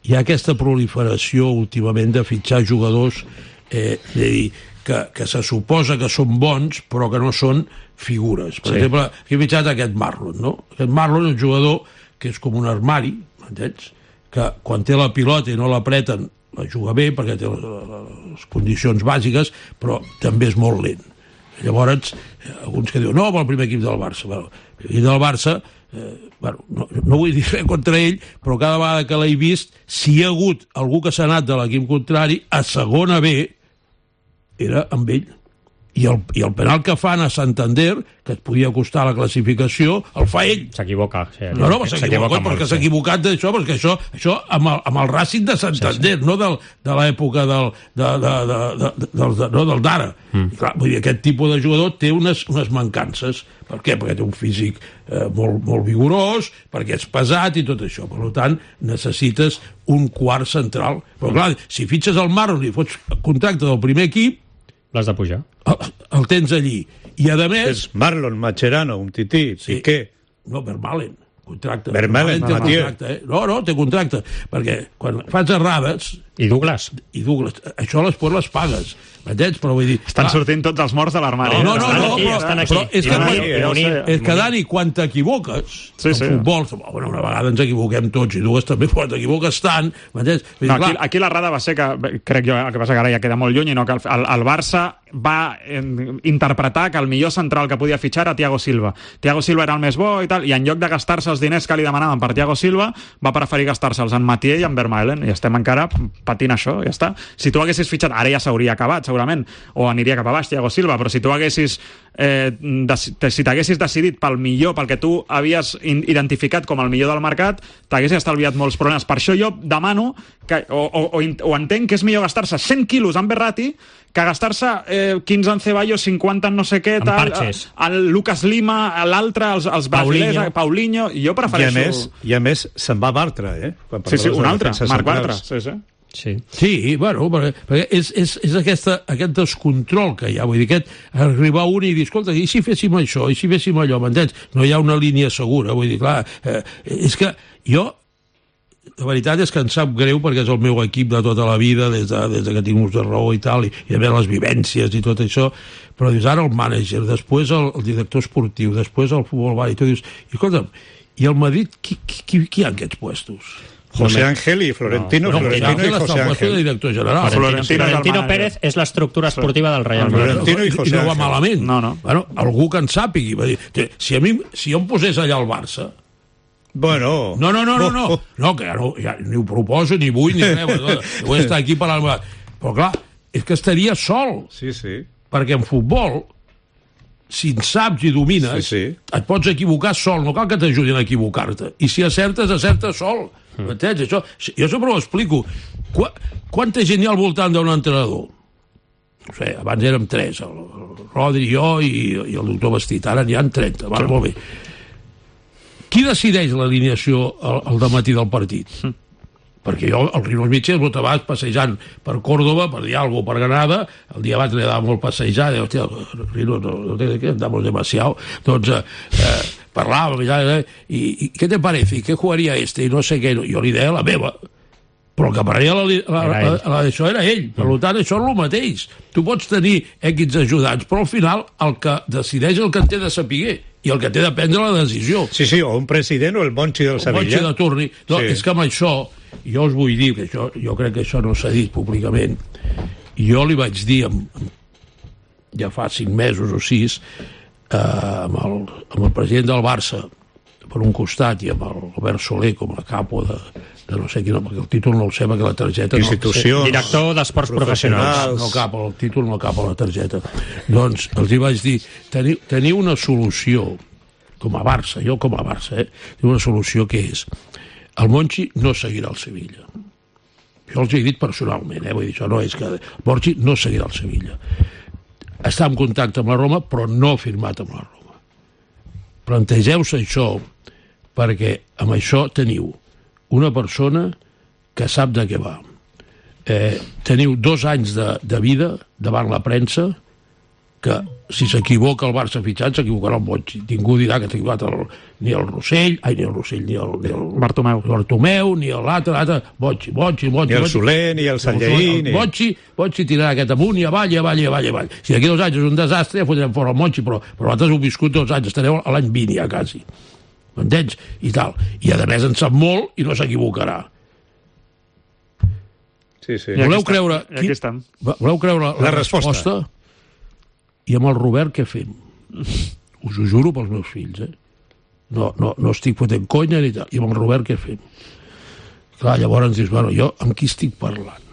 hi ha aquesta proliferació últimament de fitxar jugadors eh, de dir, que, que se suposa que són bons però que no són figures. Per Sí. exemple, aquí he fitxat aquest Marlon, no? Aquest Marlon és un jugador que és com un armari, entens? Que quan té la pilota i no l'apreten la juga bé perquè té les, les condicions bàsiques, però també és molt lent. Llavors, eh, alguns que diuen, no, amb el primer equip del Barça. Bueno, el primer equip del Barça, eh, bueno, no, no vull dir res contra ell, però cada vegada que l'he vist, si hi ha hagut algú que s'ha anat de l'equip contrari, a segona B, era amb ell. I el, I el penal que fan a Santander, que et podia costar la classificació, el fa ell. S'equivoca. Sí, No, no, s'equivoca, perquè s'ha sí. equivocat d'això, perquè això, això amb, el, amb el Racing de Santander, sí, sí. no del, de l'època del, de, de, de, de, de, de, no, del d'ara. Mm. Clar, vull dir, aquest tipus de jugador té unes, unes mancances. Per què? Perquè té un físic eh, molt, molt vigorós, perquè és pesat i tot això. Per tant, necessites un quart central. Però clar, si fitxes el Marlon i fots contracte del primer equip, L'has de pujar. el, el tens allí. I a més... És Marlon, Mascherano, Umtiti, Sí. Piqué. No, Vermaelen, contracte. Vermaelen, té Matías. contracte, eh? No, no, té contracte, perquè quan fas errades, I Douglas. I Douglas. Això després les pagues. M'entens? Però vull dir... Estan sortint tots els morts de l'armari. No, no, no, no, aquí, però, estan aquí. però és que, Ironia, quan, ironia. és que Dani, quan t'equivoques Sí, en sí. futbol, bueno, una vegada ens equivoquem tots i dues també, quan t'equivoques tant, m'entens? Vull dir, No, aquí, clar, aquí l'errada va ser que, crec jo, el que passa que ara ja queda molt lluny, i no que el, el, el Barça va eh, interpretar que el millor central que podia fitxar era Thiago Silva. Thiago Silva era el més bo i tal, i en lloc de gastar-se els diners que li demanaven per Thiago Silva, va preferir gastar-se'ls en Mathieu i en Vermaelen, i estem encara patint això, ja està. Si tu haguessis fitxat, ara ja s'hauria acabat, segurament, o aniria cap a baix Thiago Silva, però si tu haguessis eh, de, si t'haguessis decidit pel millor, pel que tu havies identificat com el millor del mercat, t'haguessis estalviat molts problemes. Per això jo demano que, o, o, o, o entenc que és millor gastar-se cent quilos en Berratti que gastar-se eh, quinze en Ceballos, cinquanta en no sé què, tal, el Lucas Lima, l'altre, els, els brasilers, Paulinho, i jo prefereixo... I a més, i a més se'n va Bartra, eh? Sí, sí, un altre, Marc Bartra. Sí, sí. Sí. Sí, bueno, perquè, perquè és, és, és aquesta, aquest descontrol que hi ha, vull dir, aquest arribar un i dir, escolta, i si féssim això, i si féssim allò, m'entens? No hi ha una línia segura, vull dir, clar, eh, és que jo, la veritat és que em sap greu perquè és el meu equip de tota la vida, des de, des de que tinc ús de raó i tal, i, i a veure les vivències i tot això, però dius, ara el mànager, després el, el director esportiu, després el futbol bar, i tu dius, i escolta'm, i al Madrid, qui, qui, qui, qui hi ha aquests puestos? José Ángel y Florentino, no, no, Florentino y José Ángel. Director general. Florentino, Florentino Pérez és l'estructura esportiva del Real Madrid. Florentino i José I no va Ángel. malament. No, no. Bueno, algú que en sàpigui. Va dir, si, a mi, si jo em posés allà al Barça... Bueno... No, no, no, no, no, no que ja, no, ja ni ho proposo, ni vull, ni res. No, vull estar aquí parlant... Però clar, és que estaria sol. Sí, sí. Perquè en futbol, si en saps i domines, Sí, sí. et pots equivocar sol, no cal que t'ajudin a equivocar-te. I si acertes, acertes sol. M'entens? Això, jo sempre ho explico. Qu quanta gent hi ha al voltant d'un entrenador? No sé, abans érem tres, el, el Rodri, jo i, i el doctor Bastit. Ara n'hi ha trenta, va, molt bé. Qui decideix l'alineació al, al dematí del partit? Mm. Perquè jo, el Rino Mitchell, el vas passejant per Córdoba, per Dialgo, per Granada, el dia abans li dava molt passejar, i hòstia, Rino, no, no té que andamos demasiado. Doncs, eh, parlava, eh, i, i què te parece? I què jugaria este? I no sé què, jo li deia la meva. Però el que pararia la, la, la, la, la, això era ell. Per tant, això és el mateix. Tu pots tenir equips ajudants, però al final el que decideix el que en té de saber i el que té de prendre la decisió. Sí, sí, o un president o el Monchi del Sevilla. El Monchi de turni. No, Sí. és que amb això, jo us vull dir, que això, jo crec que això no s'ha dit públicament, jo li vaig dir, amb, ja fa cinc mesos o sis, eh, amb, el, amb el president del Barça, per un costat, i amb el Albert Soler com a capo de, de no sé quina, perquè el títol no el sé, perquè la targeta... Institucions. No, Director d'Esports Professionals. no cap, el títol no cap a la targeta. Doncs els hi vaig dir, teniu, teniu una solució, com a Barça, jo com a Barça, eh? Teniu una solució que és, el Monchi no seguirà el Sevilla. Jo els he dit personalment, eh? Vull dir, això no és que... El Monchi no seguirà el Sevilla. Està en contacte amb la Roma, però no ha firmat amb la Roma. Plantegeu-se això, perquè amb això teniu una persona que sap de què va. Eh, teniu dos anys de, de vida davant la premsa, que si s'equivoca el Barça fitxant, s'equivocarà el Monchi. Ningú dirà que s'ha equivocat el, ni el Rossell, ai, ni el Rossell, ni el, ni el Bartomeu. Bartomeu, ni l'altre, l'altre, Monchi, Monchi, Monchi. Ni el Monchi. Soler, ni el Sanlleí, El ni... Monchi, Monchi tirarà aquest amunt i avall, i avall, i avall, i avall. Si d'aquí dos anys és un desastre, ja fotrem fora el Monchi, però, però vosaltres heu viscut dos anys, estareu a l'any vint ja, quasi. M'entens? I tal. I a més en sap molt i no s'equivocarà. Sí, sí. Voleu creure... I aquí estem. Voleu creure la, La resposta. resposta? I amb el Robert què fem? Us ho juro pels meus fills, eh? No, no, no estic fotent conya ni tal. I amb el Robert què fem? Clar, llavors dius, bueno, jo amb qui estic parlant?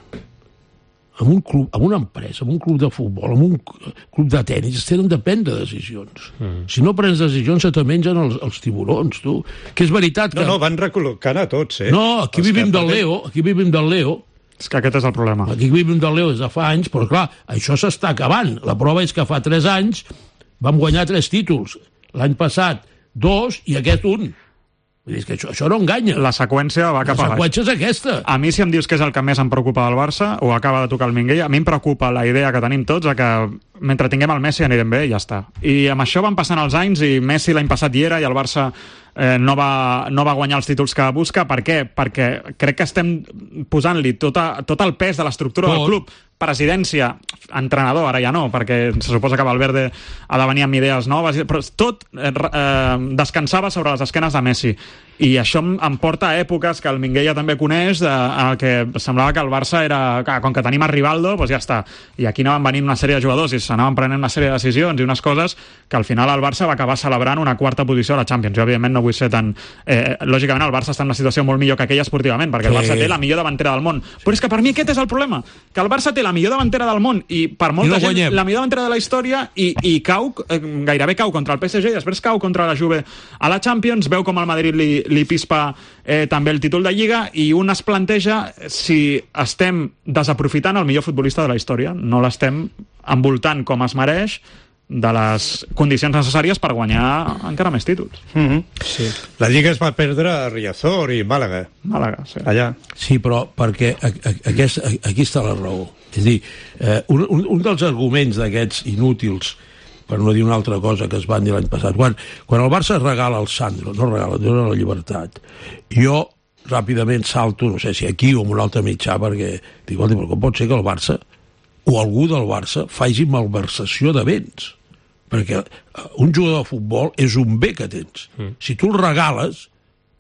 Amb un club, amb una empresa, amb un club de futbol, amb un club de tenis, es tenen de prendre decisions. Mm. Si no prens decisions, se te mengen els, els tiburons, tu. Que és veritat que... No, no, van recol·locant a tots, eh? No, aquí Els vivim que del porten- Leo, aquí vivim del Leo, És que aquest és el problema. aquí vivim del Leo des de fa anys, però clar, això s'està acabant. La prova és que fa tres anys vam guanyar tres títols. L'any passat dos i aquest un. Vull dir, és que això, això no enganya. La seqüència va cap a baix. La seqüència és aquesta. A mi, si em dius que és el que més em preocupa del Barça, o acaba de tocar el Minguell, a mi em preocupa la idea que tenim tots de que mentre tinguem el Messi anirem bé i ja està. I amb això van passant els anys i Messi l'any passat hi era i el Barça eh, no, va, no va guanyar els títols que busca. Per què? Perquè crec que estem posant-li tot, a, tot el pes de l'estructura del club, presidència, entrenador, ara ja no, perquè se suposa que Valverde ha de venir amb idees noves, però tot eh, eh, descansava sobre les esquenes de Messi. I això em porta a èpoques que el Minguella també coneix, de, en el que semblava que el Barça era, que, com que tenim a Rivaldo, doncs ja està. I aquí anaven venint una sèrie de jugadors i s'anaven prenent una sèrie de decisions i unes coses que al final el Barça va acabar celebrant una quarta posició a la Champions. Jo, evidentment, no vull ser tan... Eh, lògicament, el Barça està en una situació molt millor que aquella esportivament, perquè el Barça té la millor davantera del món. Però és que per mi aquest és el problema, que el Barça té la millor davantera del món i per molta I no gent guanyem. La millor davantera de la història i, i cau, eh, gairebé cau contra el P S G i després cau contra la Juve a la Champions, veu com el Madrid li, li pispa eh, també el títol de Lliga i un es planteja si estem desaprofitant el millor futbolista de la història, no l'estem envoltant com es mereix de les condicions necessàries per guanyar encara més títols. Mm-hmm. Sí. La Lliga es va perdre a Riazor i Màlaga. Màlaga, sí. Allà. Sí, però perquè aquest, aquí està la raó. És a dir, eh, un, un dels arguments d'aquests inútils, per no dir una altra cosa que es van dir l'any passat, quan, quan el Barça regala el Sandro, no regala, dona la llibertat, jo ràpidament salto, no sé si aquí o en un altre mitjà, perquè dic, però com pot ser que el Barça o algú del Barça faci malversació de béns? Perquè un jugador de futbol és un bé que tens. Mm. Si tu el regales,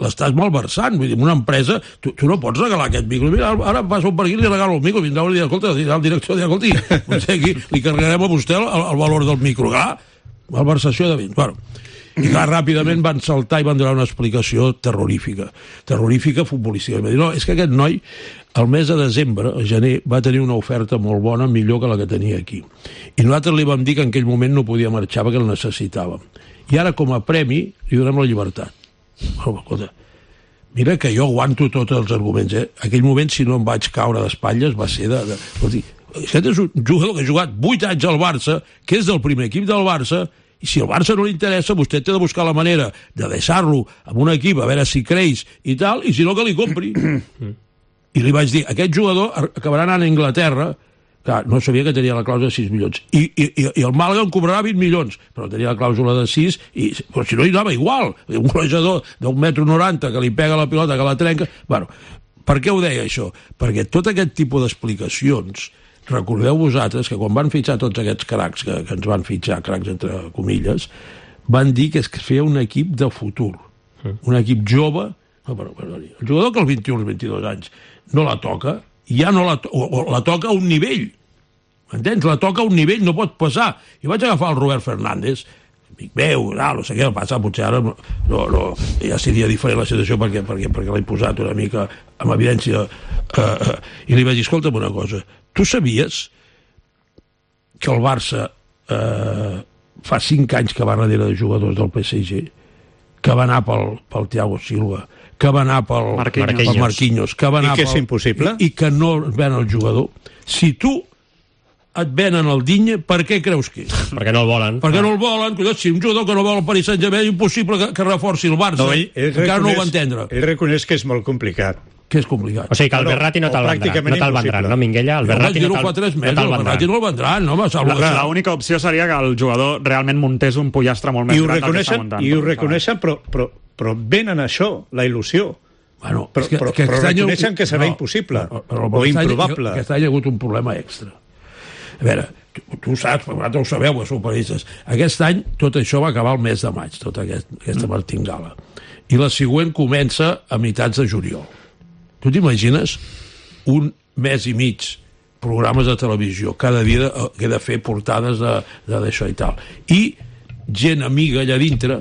l'estàs malversant. Vull dir, una empresa, tu, tu no pots regalar aquest micro. Mira, ara passo per aquí i li regalo el micro. Vindrà i dir, escolta, el director dirà, escolta, aquí li carregarem a vostè el, el valor del micro. Clar, malversació de béns. Bueno, i clar, ràpidament van saltar i van donar una explicació terrorífica. Terrorífica futbolística. I va dir, no, és que aquest noi, el mes de desembre, a gener, va tenir una oferta molt bona, millor que la que tenia aquí. I nosaltres li vam dir que en aquell moment no podia marxar perquè el necessitàvem. I ara, com a premi, li donem la llibertat. Oh, escolta, mira que jo aguanto tots els arguments, eh? Aquell moment, si no em vaig caure d'espatlles, va ser de... de... Escolti, aquest és un jugador que ha jugat vuit anys al Barça, que és del primer equip del Barça, i si el Barça no li interessa, vostè té de buscar la manera de deixar-lo amb un equip, a veure si creix i tal, i si no, que li compri. I li vaig dir, aquest jugador acabarà anant a Anglaterra. Clar, no sabia que tenia la clàusula de sis milions. I, i, i el Màlaga en cobrarà vint milions, però tenia la clàusula de sis, i, però si no hi anava igual. Un golejador d'un metro noranta que li pega la pilota, que la trenca... Bueno, per què ho deia això? Perquè tot aquest tipus d'explicacions, recordeu vosaltres que quan van fitxar tots aquests cracs, que, que ens van fitxar, cracs entre comilles, van dir que es feia un equip de futur. Un equip jove... No, però, però, el jugador que als vint-i-un o vint-i-dos anys no la toca, ja no la, to o, o la toca a un nivell. M'entens? La toca a un nivell, no pot passar. I vaig agafar el Robert Fernández, amic meu, no, no sé què passa, potser ara no, no, no, ja seria diferent la situació perquè, perquè, perquè l'he posat una mica amb evidència, eh, eh, i li vaig dir, escolta'm una cosa, tu sabies que el Barça eh, fa cinc anys que va darrere de jugadors del P S G, que va anar pel, pel Thiago Silva, que va anar pel Marquinhos, pel Marquinhos que va anar i que és pel, impossible i, i que no ven el jugador. Si tu et venen el Digne, per què creus que és? Perquè no el volen. Perquè ah. no el volen. Si un jugador que no vol el Paris Saint-Germain és impossible que, que reforci el Barça. No, ell, ell encara reconeix, no ho va entendre. Ell reconeix que és molt complicat. Que és complicat. O sigui que el Berratti no te'l vendrà, no te'l vendran, no, Minguella? El Berratti no te'l vendran. El Berratti no el vendran, no? L'única opció seria que el jugador realment muntés un pollastre molt més gran del que està muntant. I ho reconeixen, però, però, però venen això, la il·lusió. Bueno, però que, però, que però reconeixen que serà no, impossible però, però, però o improbable. Aquest any hi ha hagut un problema extra. A veure, tu, tu ho saps, vosaltres ho sabeu, els superistes. Aquest any tot això va acabar el mes de maig, tota aquest, aquesta martingala. I la següent comença a meitats de juliol. Tu t'imagines un mes i mig programes de televisió, cada dia que he de fer portades d'això i tal. I gent amiga allà dintre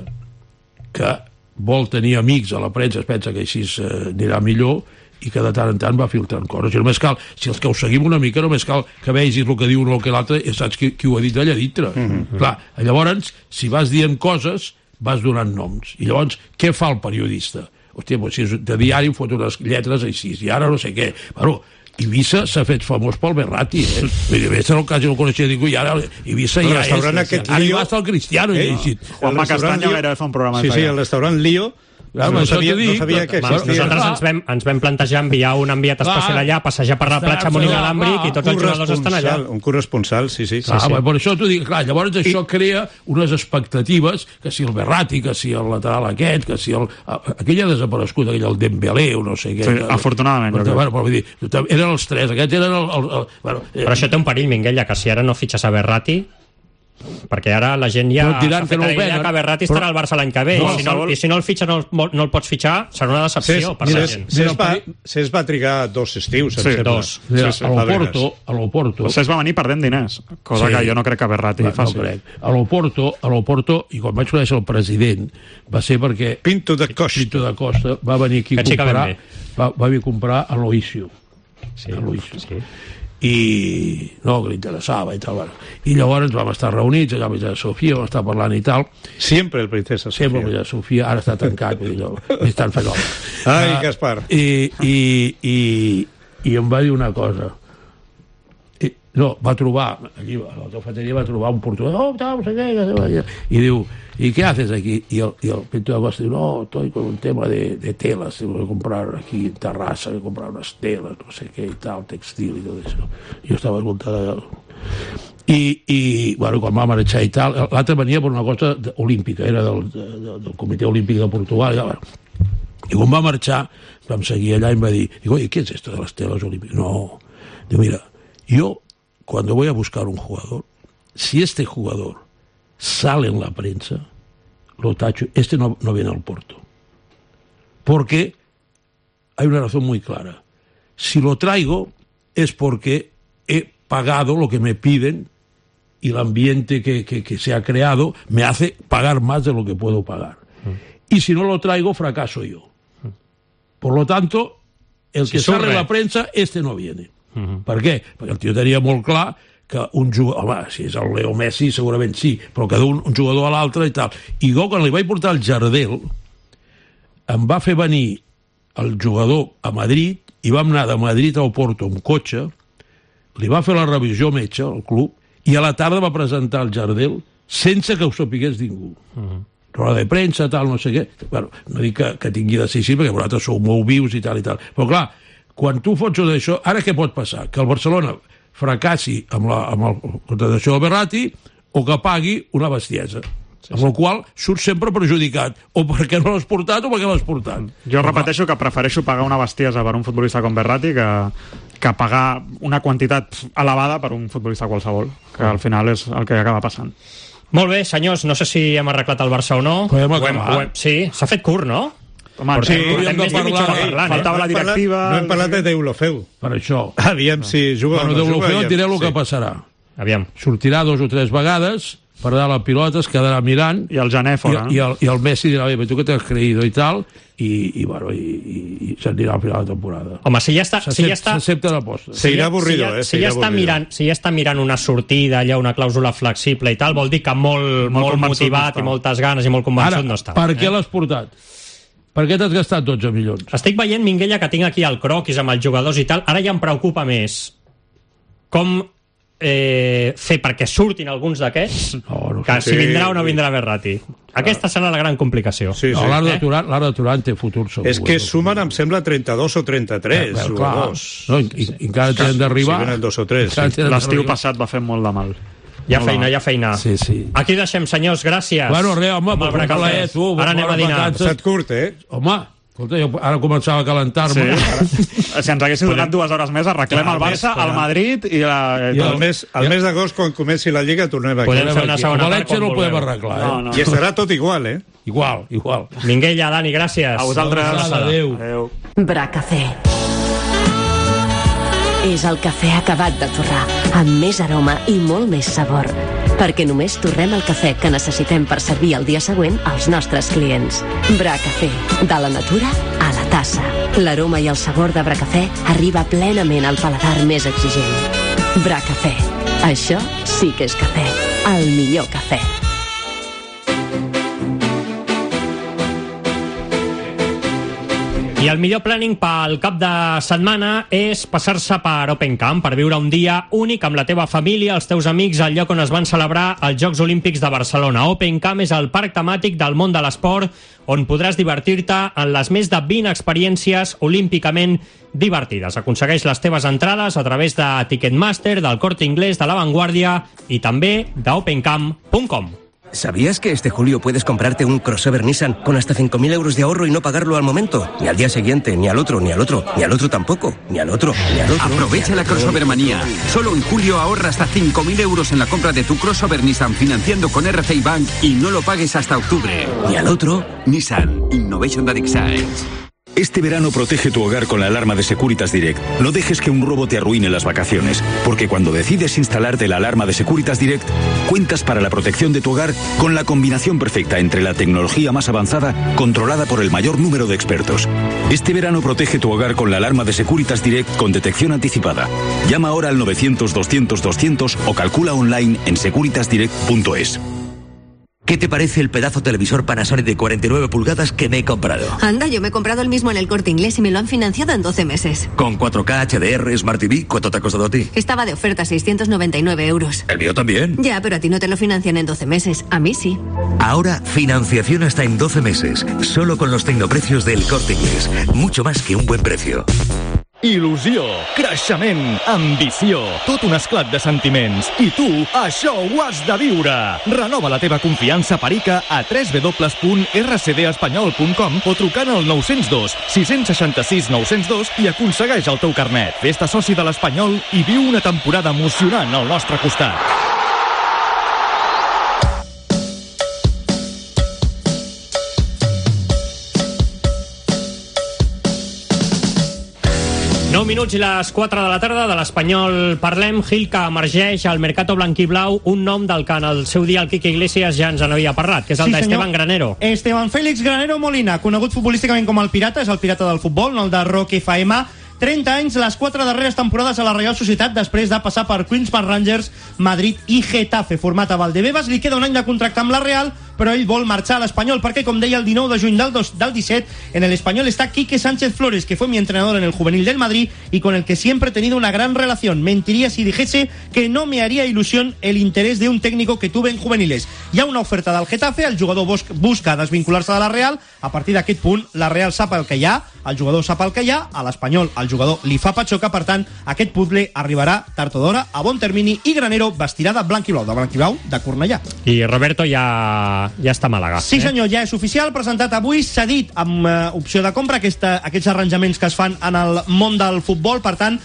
que vol tenir amics a la premsa, es pensa que així eh, anirà millor, i que de tant en tant va filtrant coses. I només cal, si els que ho seguim una mica, només cal que vegis el que diu un o que l'altre i saps qui, qui ho ha dit allà dintre. Mm-hmm. Clar, llavors, si vas dient coses, vas donant noms. I llavors, què fa el periodista? Hòstia, doncs si és de diari em fot unes lletres així, i ara no sé què. Bueno, Ibiza s'ha fet famós pel Berratti, eh? Ibiza no, quasi no el coneixia ningú, i ara Ibiza ja és... Aquest ara hi va estar el Cristiano. Eh? I Juanma Castaño era fa un programa sí, sí, el restaurant Lío Clar, no, no, sabia, dic, no sabia que existia. Nosaltres ens vam, ens vam plantejar enviar un enviat especial allà, passejar per la platja amb un inalàmbric i tots els jugadors estan allà. Un corresponsal, sí, sí. Clar, sí, sí. Per això t'ho dic, clar, llavors això I... crea unes expectatives, que si el Berratti, que si el lateral aquest, que si el... Aquell ha desaparegut, aquell el Dembélé o no sé què. Sí, afortunadament. Però, bueno, vull dir, eren els tres, aquests eren el... el, el bueno, eh... Però això té un perill, Minguella, que si ara no fitxes a Berratti, perquè ara la gent ja no s'ha fet no la idea que Berratti estarà al Barça l'any que ve, no, i, si no, i si no el fitxa no, no el pots fitxar, serà una decepció per la gent. Cés va, Cés va trigar dos estius, sí, dos. Mira, sí, sí, a l'Oporto, a l'Oporto... Cés va venir perdent diners, cosa sí, que jo no crec que Berratti no, faci. No crec. A l'Oporto, a l'Oporto, i quan vaig conèixer el president, va ser perquè... Pinto da Costa. Pinto da Costa va venir aquí a comprar... Va, va venir a comprar a l'Oisio. Sí, a l'Oisio. Sí. I no, que li interessava i tal, bueno. I llavors vam estar reunits allà a la Princesa Sofia, vam estar parlant i tal. Sempre el Princesa Sofia. Sempre el Princesa Sofia, ara està tancat, vull dir, no, estan fent l'home. Ai, uh, Gaspar. I, i, i, i em va dir una cosa. I, no, va trobar, allí a la cafeteria va trobar un portuguès, oh, tal, no sé què, i diu, ¿y qué haces aquí? Y el, y el Pinto da Costa diu, no, estoy con un tema de, de telas, tengo que comprar aquí en Terrassa, voy a comprar unas telas, no sé qué y tal, textil y todo eso. Yo estaba escoltant i, i bueno, quan va marxar i tal, l'altre venia per una cosa olímpica, era del, de, del Comitè Olímpic de Portugal, i, bueno, i quan va marxar vam seguir allà i em va dir, digo, oye, ¿qué es esto de las telas olímpicas? No, digo, mira, yo cuando voy a buscar un jugador, si este jugador sale en la prensa, lo tacho, este no, no viene al Porto. Porque hay una razón muy clara. Si lo traigo es porque he pagado lo que me piden y el ambiente que, que, que se ha creado me hace pagar más de lo que puedo pagar. Mm. Y si no lo traigo, fracaso yo. Mm. Por lo tanto, el si que sale en la prensa, este no viene. Mm-hmm. Per què? Perquè el tio tenia molt clar que un jugador, home, si és el Leo Messi segurament sí, però que d'un un jugador a l'altre i tal. I jo quan li vaig portar el Jardel em va fer venir el jugador a Madrid i vam anar de Madrid al Porto amb cotxe, li va fer la revisió metge al club i a la tarda va presentar el Jardel sense que ho sapigués ningú. Uh-huh. Roda de premsa, tal, no sé què. Bueno, no dic que, que tingui de ser així perquè vosaltres sou molt vius i tal i tal. Però clar, quan tu fots d'això, ara què pot passar? Que el Barcelona fracassi amb la, amb la contratació del Berratti o que pagui una bestiesa. Sí, amb sí. el qual surt sempre perjudicat, o perquè no l'has portat o perquè l'has portat. Jo repeteixo que prefereixo pagar una bestiesa per un futbolista com Berratti que, que pagar una quantitat elevada per un futbolista qualsevol, que al final és el que acaba passant. Molt bé, senyors, no sé si hem arreglat el Barça o no. Ho hem, ho hem, ho hem, sí, s'ha fet curt, no? Home, sí, hem de parlar, parlant, faltava la directiva... No hem parlat de Deulofeu. Per això. Aviam si juga bueno, o no juga. Deulofeu et diré el sí. que passarà. Aviam. Sortirà dos o tres vegades, perdrà la pilota, es quedarà mirant... I el Jané fora. I, i, el, i el Messi dirà, bé, tu que t'has creïdo i tal, i, i, bueno, i, i, i s'anirà al final de la temporada. Home, si ja està... Si ja està... S'accepta l'aposta. Seguirà avorrido, si ja, eh? Si ja, està mirant, si ja està mirant una sortida, allà una clàusula flexible i tal, vol dir que molt, molt, molt motivat no i moltes ganes i molt convençut Ara, no està. Per què eh? l'has portat? Per què t'has gastat dotze milions? Estic veient, Minguella, que tinc aquí el croquis amb els jugadors i tal. Ara ja em preocupa més com eh, fer perquè surtin alguns d'aquests no, no que sé. si vindrà o no vindrà Berratti. Aquesta serà la gran complicació. Sí, sí. No, l'Arda eh? Turant, l'Arda Turant té futur segur. És que sumen, em sembla, trenta-dos o trenta-tres eh, jugadors. No, i, i, encara tenen d'arribar. Si venen dos o tres. Sí. L'estiu passat va fer molt de mal. Hi ha feina, hi ha feina. Sí, sí. Aquí deixem, senyors, gràcies. Bueno, res, home, per un plaer, tu. Ara anem a dinar. Ha estat curt, eh? Home, escolta, jo ara començava a calentar-me. Sí. Si ens haguéssiu donat dues hores més, arreglem el Barça, el Madrid i la... I el mes, el mes d'agost, quan comenci la Lliga, tornem aquí. Podem fer una segona part quan no ho podem arreglar, eh? No, no. I estarà tot igual, eh? Igual, igual. Minguella, Dani, gràcies. A vosaltres. Adéu. Adéu. Bracafé. És el cafè acabat de torrar, amb més aroma i molt més sabor. Perquè només torrem el cafè que necessitem per servir el dia següent als nostres clients. Bracafé, de la natura a la tassa. L'aroma i el sabor de Bracafé arriba plenament al paladar més exigent. Bracafé, això sí que és cafè, el millor cafè. I el millor planning pel cap de setmana és passar-se per Open Camp, per viure un dia únic amb la teva família, els teus amics, al lloc on es van celebrar els Jocs Olímpics de Barcelona. Open Camp és el parc temàtic del món de l'esport on podràs divertir-te en les més de vint experiències olímpicament divertides. Aconsegueix les teves entrades a través de Ticketmaster, del Corte Inglés, de La Vanguardia i també d'opencamp punt com. ¿Sabías que este julio puedes comprarte un crossover Nissan con hasta cinco mil euros de ahorro y no pagarlo al momento? Ni al día siguiente, ni al otro, ni al otro, ni al otro tampoco, ni al otro, ni al otro. Aprovecha la crossover manía. Solo en julio ahorra hasta cinco mil euros en la compra de tu crossover Nissan financiando con R C I Bank y no lo pagues hasta octubre. Ni al otro. Nissan Innovation that excites. Este verano protege tu hogar con la alarma de Securitas Direct. No dejes que un robo te arruine las vacaciones, porque cuando decides instalarte la alarma de Securitas Direct, cuentas para la protección de tu hogar con la combinación perfecta entre la tecnología más avanzada, controlada por el mayor número de expertos. Este verano protege tu hogar con la alarma de Securitas Direct con detección anticipada. Llama ahora al novecientos doscientos doscientos o calcula online en securitas direct punto es. ¿Qué te parece el pedazo televisor Panasonic de cuarenta y nueve pulgadas que me he comprado? Anda, yo me he comprado el mismo en el Corte Inglés y me lo han financiado en doce meses. Con cuatro K, H D R, Smart T V, ¿cuánto te ha costado a ti? Estaba de oferta, seiscientos noventa y nueve euros. ¿El mío también? Ya, pero a ti no te lo financian en doce meses. A mí sí. Ahora, financiación hasta en doce meses. Solo con los tecnoprecios del Corte Inglés. Mucho más que un buen precio. Il·lusió, creixement, ambició, tot un esclat de sentiments. I tu, això ho has de viure. Renova la teva confiança per I C A a w w w punt r c d espanyol punt com o trucant al nou zero dos, sis sis sis, nou zero dos i aconsegueix el teu carnet. Fes-te soci de l'Espanyol i viu una temporada emocionant al nostre costat. nou minuts i les quatre de la tarda, de l'Espanyol parlem. Gil, que emergeix al Mercato Blanquiblau un nom del que en el seu dia el Quique Iglesias ja ens en havia parlat, que és el sí, d'Esteban Granero. Esteban Félix Granero Molina, conegut futbolísticament com el Pirata, és el Pirata del futbol, no el de Rock F M. trenta anys, les quatre darreres temporades a la Real Societat després de passar per Queens Park Rangers, Madrid i Getafe. Format a Valdebebas, li queda un any de contracte amb la Real, però ell vol marxar a l'Espanyol perquè, com deia, el dinou de juny del, dos, del disset, en el Espanyol está Quique Sánchez Flores, que fue mi entrenador en el juvenil del Madrid y con el que siempre he tenido una gran relación. Mentiría si dijese que no me haría ilusión el interés de un técnico que tuve en juveniles. Hi ha una oferta del Getafe, el jugador busca desvincular-se de la Real. A partir d'aquest punt, la Real sap el que hi ha, el jugador sap el que hi ha, a l'Espanyol el jugador li fa patxoca, per tant, aquest puzzle arribarà tard o d'hora, a bon termini, i Granero vestirà de blanc i blau, de blanc i blau de Cornellà. I Roberto ja, ja està a Màlaga. Sí, senyor, ja és oficial, presentat avui, cedit amb uh, opció de compra, aquesta, aquests arranjaments que es fan en el món del futbol. Per tant,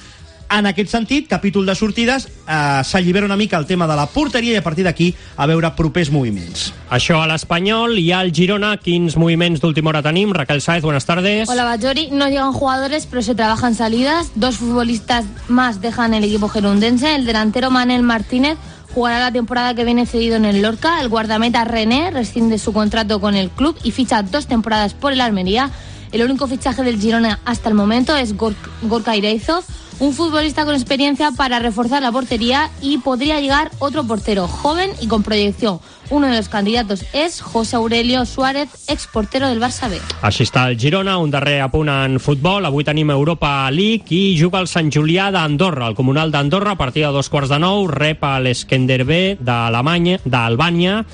en aquest sentit, capítol de sortides, eh, s'allibera una mica el tema de la porteria i a partir d'aquí a veure propers moviments. Això a l'Espanyol. I al Girona, quins moviments d'última hora tenim? Raquel Sáez, buenas tardes. Hola, Bajori. No llegan jugadores, pero se trabajan salidas. Dos futbolistas más dejan el equipo gerundense. El delantero Manel Martínez jugará la temporada que viene cedido en el Lorca. El guardameta René rescinde su contrato con el club y ficha dos temporadas por el Almería. El único fichaje del Girona hasta el momento es Gor- Gorka Ireizov, un futbolista con experiencia para reforzar la portería, y podría llegar otro portero joven y con proyección. Uno de los candidatos es José Aurelio Suárez, ex portero del Barça B. Així està el Girona, un darrer apunt en futbol. Avui tenim Europa League i juga el Sant Julià d'Andorra. El Comunal d'Andorra, a partir de dos quarts de nou, rep a l'Eskenderbe d'Alemanya, d'Albània.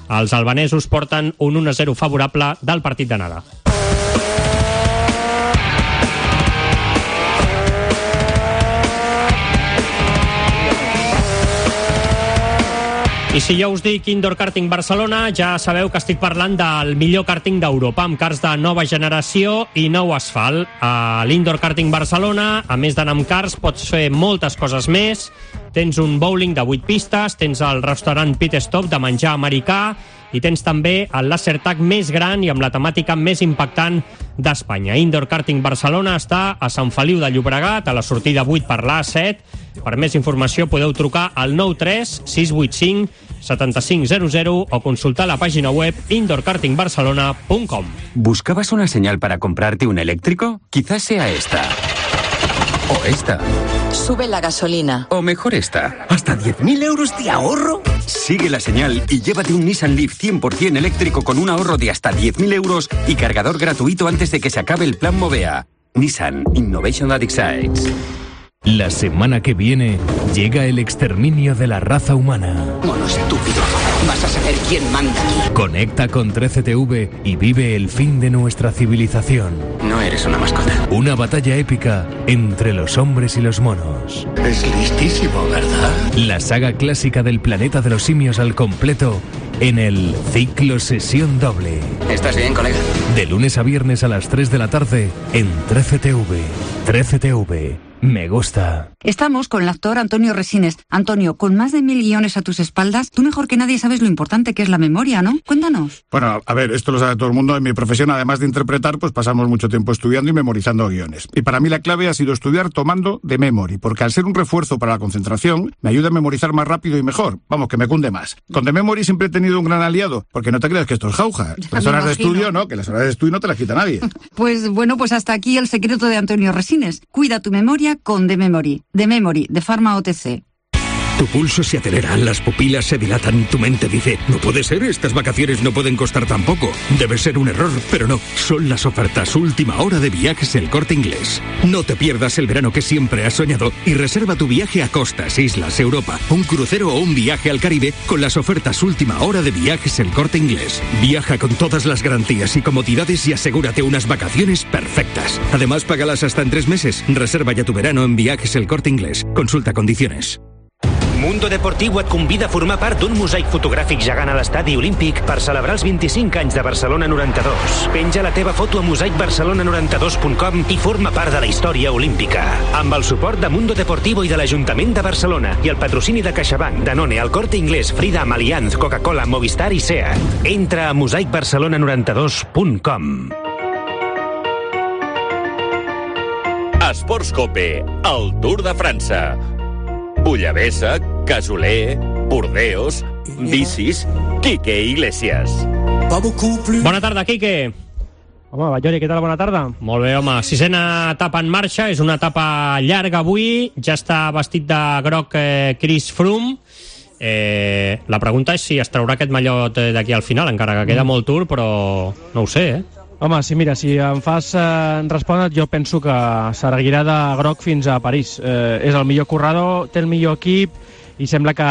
Els albanesos porten un un a zero favorable del partit d'anada. I si jo us dic Indoor Karting Barcelona, ja sabeu que estic parlant del millor karting d'Europa, amb cars de nova generació i nou asfalt. A l'Indoor Karting Barcelona, a més d'anar amb cars, pots fer moltes coses més. Tens un bowling de vuit pistes, tens el restaurant Pit Stop de menjar americà i tens també el laser tag més gran i amb la temàtica més impactant d'Espanya. Indoor Karting Barcelona està a Sant Feliu de Llobregat, a la sortida vuit per l'A set. Per més informació podeu trucar al nou tres sis vuit cinc set cinc zero zero o consultar la pàgina web indoor karting barcelona punt com. ¿Buscabas una señal para comprarte un eléctrico? Quizás sea esta. O esta. Sube la gasolina. O mejor esta. ¿Hasta diez mil euros de ahorro? Sigue la señal y llévate un Nissan Leaf cien por ciento eléctrico con un ahorro de hasta diez mil euros y cargador gratuito antes de que se acabe el plan Movea. Nissan Innovation that excites. La semana que viene llega el exterminio de la raza humana. Mono estúpido, vas a saber quién manda aquí. Conecta con trece T V y vive el fin de nuestra civilización. No eres una mascota. Una batalla épica entre los hombres y los monos. Es listísimo, ¿verdad? La saga clásica del planeta de los simios al completo en el Ciclo Sesión Doble. ¿Estás bien, colega? De lunes a viernes a las tres de la tarde en trece T V. trece T V. Me gusta. Estamos con el actor Antonio Resines. Antonio, con más de mil guiones a tus espaldas, tú mejor que nadie sabes lo importante que es la memoria, ¿no? Cuéntanos. Bueno, a ver, esto lo sabe todo el mundo. En mi profesión, además de interpretar, pues pasamos mucho tiempo estudiando y memorizando guiones. Y para mí la clave ha sido estudiar tomando de memory, porque al ser un refuerzo para la concentración, me ayuda a memorizar más rápido y mejor. Vamos, que me cunde más. Con de memory siempre he tenido un gran aliado, porque no te creas que esto es jauja. Las horas de estudio, no, que las horas de estudio no te las quita nadie. Pues bueno, pues hasta aquí el secreto de Antonio Resines. Cuida tu memoria con de memory. De memory, de Pharma O T C. Tu pulso se acelera, las pupilas se dilatan, tu mente dice, no puede ser, estas vacaciones no pueden costar tan poco. Debe ser un error, pero no, son las ofertas última hora de Viajes El Corte Inglés. No te pierdas el verano que siempre has soñado y reserva tu viaje a costas, islas, Europa, un crucero o un viaje al Caribe con las ofertas última hora de Viajes El Corte Inglés. Viaja con todas las garantías y comodidades y asegúrate unas vacaciones perfectas. Además, págalas hasta en tres meses. Reserva ya tu verano en Viajes El Corte Inglés. Consulta condiciones. Mundo Deportiu et convida a formar part d'un mosaic fotogràfic gegant a l'estadi olímpic per celebrar els vint-i-cinc anys de Barcelona noranta-dos. Penja la teva foto a mosaic barcelona noranta-dos punt com i forma part de la història olímpica. Amb el suport de Mundo Deportivo i de l'Ajuntament de Barcelona i el patrocini de CaixaBank, Danone, El Corte Inglés, Freedom, Allianz, Coca-Cola, Movistar i SEAT. Entra a mosaic barcelona noranta-dos punt com. Esports Cope, el Tour de França. Bullavesa, Casoler, Burdeos, bicis, Quique Iglesias. Bona tarda, Quique. Home, Ballori, què tal? Bona tarda. Molt bé, home. Sisena etapa en marxa, és una etapa llarga avui, ja està vestit de groc eh, Chris Froome. Eh, la pregunta és si es traurà aquest mallot d'aquí al final, encara que queda molt Tour, però no ho sé, eh? Home, sí, mira, si em fas eh, respondre, jo penso que seguirà de groc fins a París. Eh, és el millor corredor, té el millor equip i sembla que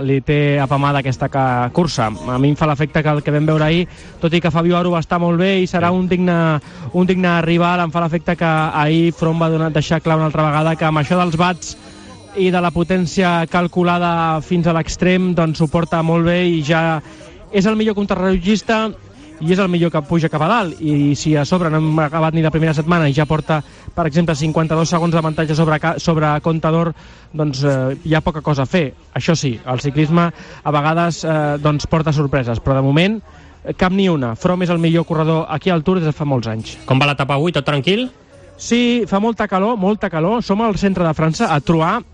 li té apamada aquesta cursa. A mi em fa l'efecte que el que vam veure ahir, tot i que Fabio Aru va estar molt bé i serà un digne, un digne rival, em fa l'efecte que ahir Froome va donar, deixar clar una altra vegada que amb això dels watts i de la potència calculada fins a l'extrem, doncs ho porta molt bé i ja és el millor contrarrellotgista i és el millor que puja cap a dalt, i si a sobre no hem acabat ni la primera setmana i ja porta, per exemple, cinquanta-dos segons d'avantatge sobre, sobre Contador, doncs eh, hi ha poca cosa a fer. Això sí, el ciclisme a vegades eh, doncs porta sorpreses, però de moment cap ni una. Froome és el millor corredor aquí al Tour des de fa molts anys. Com va l'etapa avui? Tot tranquil? Sí, fa molta calor, molta calor. Som al centre de França, a Troyes,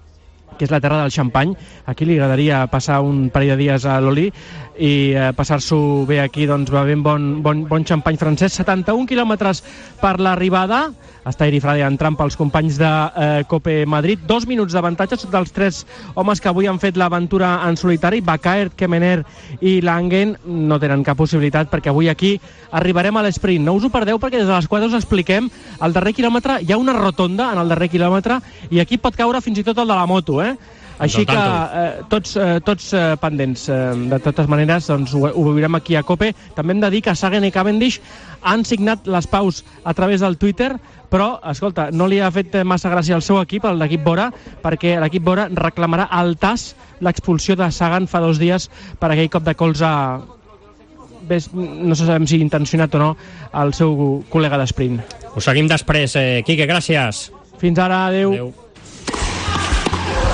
que és la terra del xampany. Aquí li agradaria passar un parell de dies a l'Oli i eh, passar-s'ho bé aquí, doncs bevent bon, bon, bon xampany francès. setanta-un quilòmetres per l'arribada. Està Eri Frade entrant pels companys de eh, Cope Madrid. Dos minuts d'avantatge dels tres homes que avui han fet l'aventura en solitari. Bakaert, Kemener i Langen no tenen cap possibilitat perquè avui aquí arribarem a l'esprint. No us ho perdeu perquè des de les quatre us expliquem. Al darrer quilòmetre hi ha una rotonda en el darrer quilòmetre i aquí pot caure fins i tot el de la moto, eh? Així que eh, tots, eh, tots eh, pendents. Eh, de totes maneres, doncs, ho, ho veurem aquí a Cope. També hem de dir que Sagan i Cavendish han signat les paus a través del Twitter, però, escolta, no li ha fet massa gràcia al seu equip, el d'equip Bora, perquè l'equip Bora reclamarà al T A S l'expulsió de Sagan fa dos dies per aquell cop de colze, no sabem si intencionat o no, al seu col·lega d'esprint. Ho seguim després, eh, Quique, gràcies. Fins ara, adeu. adeu.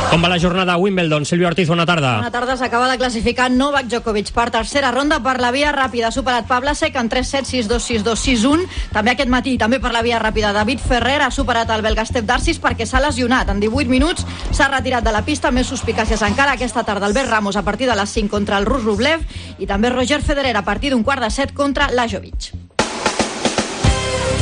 Com va la jornada a Wimbledon? Sílvia Ortiz, bona tarda. Bona tarda, s'acaba de classificar Novak Djokovic per tercera ronda per la via ràpida. Ha superat Pavlasek en tres set, sis dos, sis dos, sis un. També aquest matí, també per la via ràpida, David Ferrer ha superat el belga Stef Darcis perquè s'ha lesionat. En divuit minuts s'ha retirat de la pista. Més suspicàcies encara aquesta tarda. Albert Ramos a partir de les cinc contra el rus Rublev i també Roger Federer a partir d'un quart de set contra Lajovic.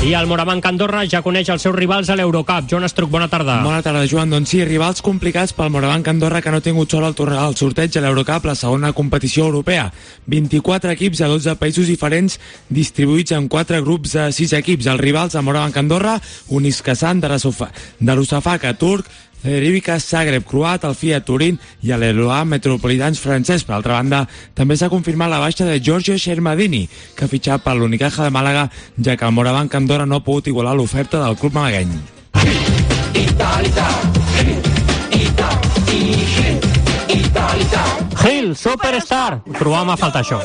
I el Morabanc Andorra ja coneix els seus rivals a l'Eurocup. Joan Estruc, bona tarda. Bona tarda, Joan. Doncs sí, rivals complicats pel Morabanc Andorra, que no ha tingut sort al, al sorteig a l'Eurocup, la segona competició europea. vint-i-quatre equips a dotze països diferents, distribuïts en quatre grups de sis equips. Els rivals a Morabanc Andorra, Uniskasan, Darusafaka, turc, Cedrivica, Zagreb, croat, el Fiat Turín i l'Eloa Metropolitans francès. Per altra banda, també s'ha confirmat la baixa de Giorgio Shermadini, que ha fitxat per l'Unicaja de Màlaga, ja que el Morabanc Andorra no ha pogut igualar l'oferta del club malagueny. Hill, Superstar. Trobàvem a faltar això.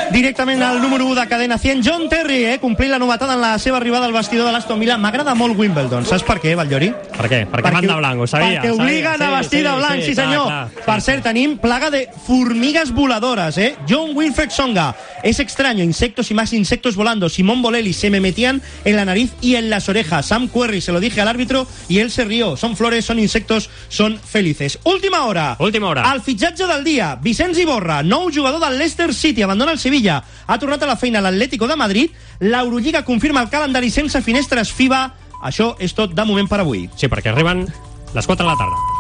Directament al número u de cadena cent, John Terry, eh? Complint la novetada en la seva arribada al vestidor de l'Aston Villa. M'agrada molt Wimbledon. Saps per què, Vallllori? Per què? Perquè, perquè van de blanc, ho sabia. Perquè obliguen sabia, a vestir sí, de blanc, sí, sí senyor. Clar, clar, per sí, cert, sí. Tenim plaga de formigues voladores, eh? John Wilfred Songa. Es extraño, insectos y más insectos volando. Simón Bolelli, se me metían en la nariz y en las orejas. Sam Querrey, se lo dije al árbitro y él se rió. Son flores, son insectos, son felices. Última hora. Última hora. El fitxatge del dia. Vicenç Iborra, nou jugador del Leicester City, abandona el Sevilla. Ha tornat a la feina a l'Atlético de Madrid. L'Eurolliga confirma el calendari sense finestres FIBA. Això és tot de moment per avui. Sí, perquè arriben les quatre de la tarda.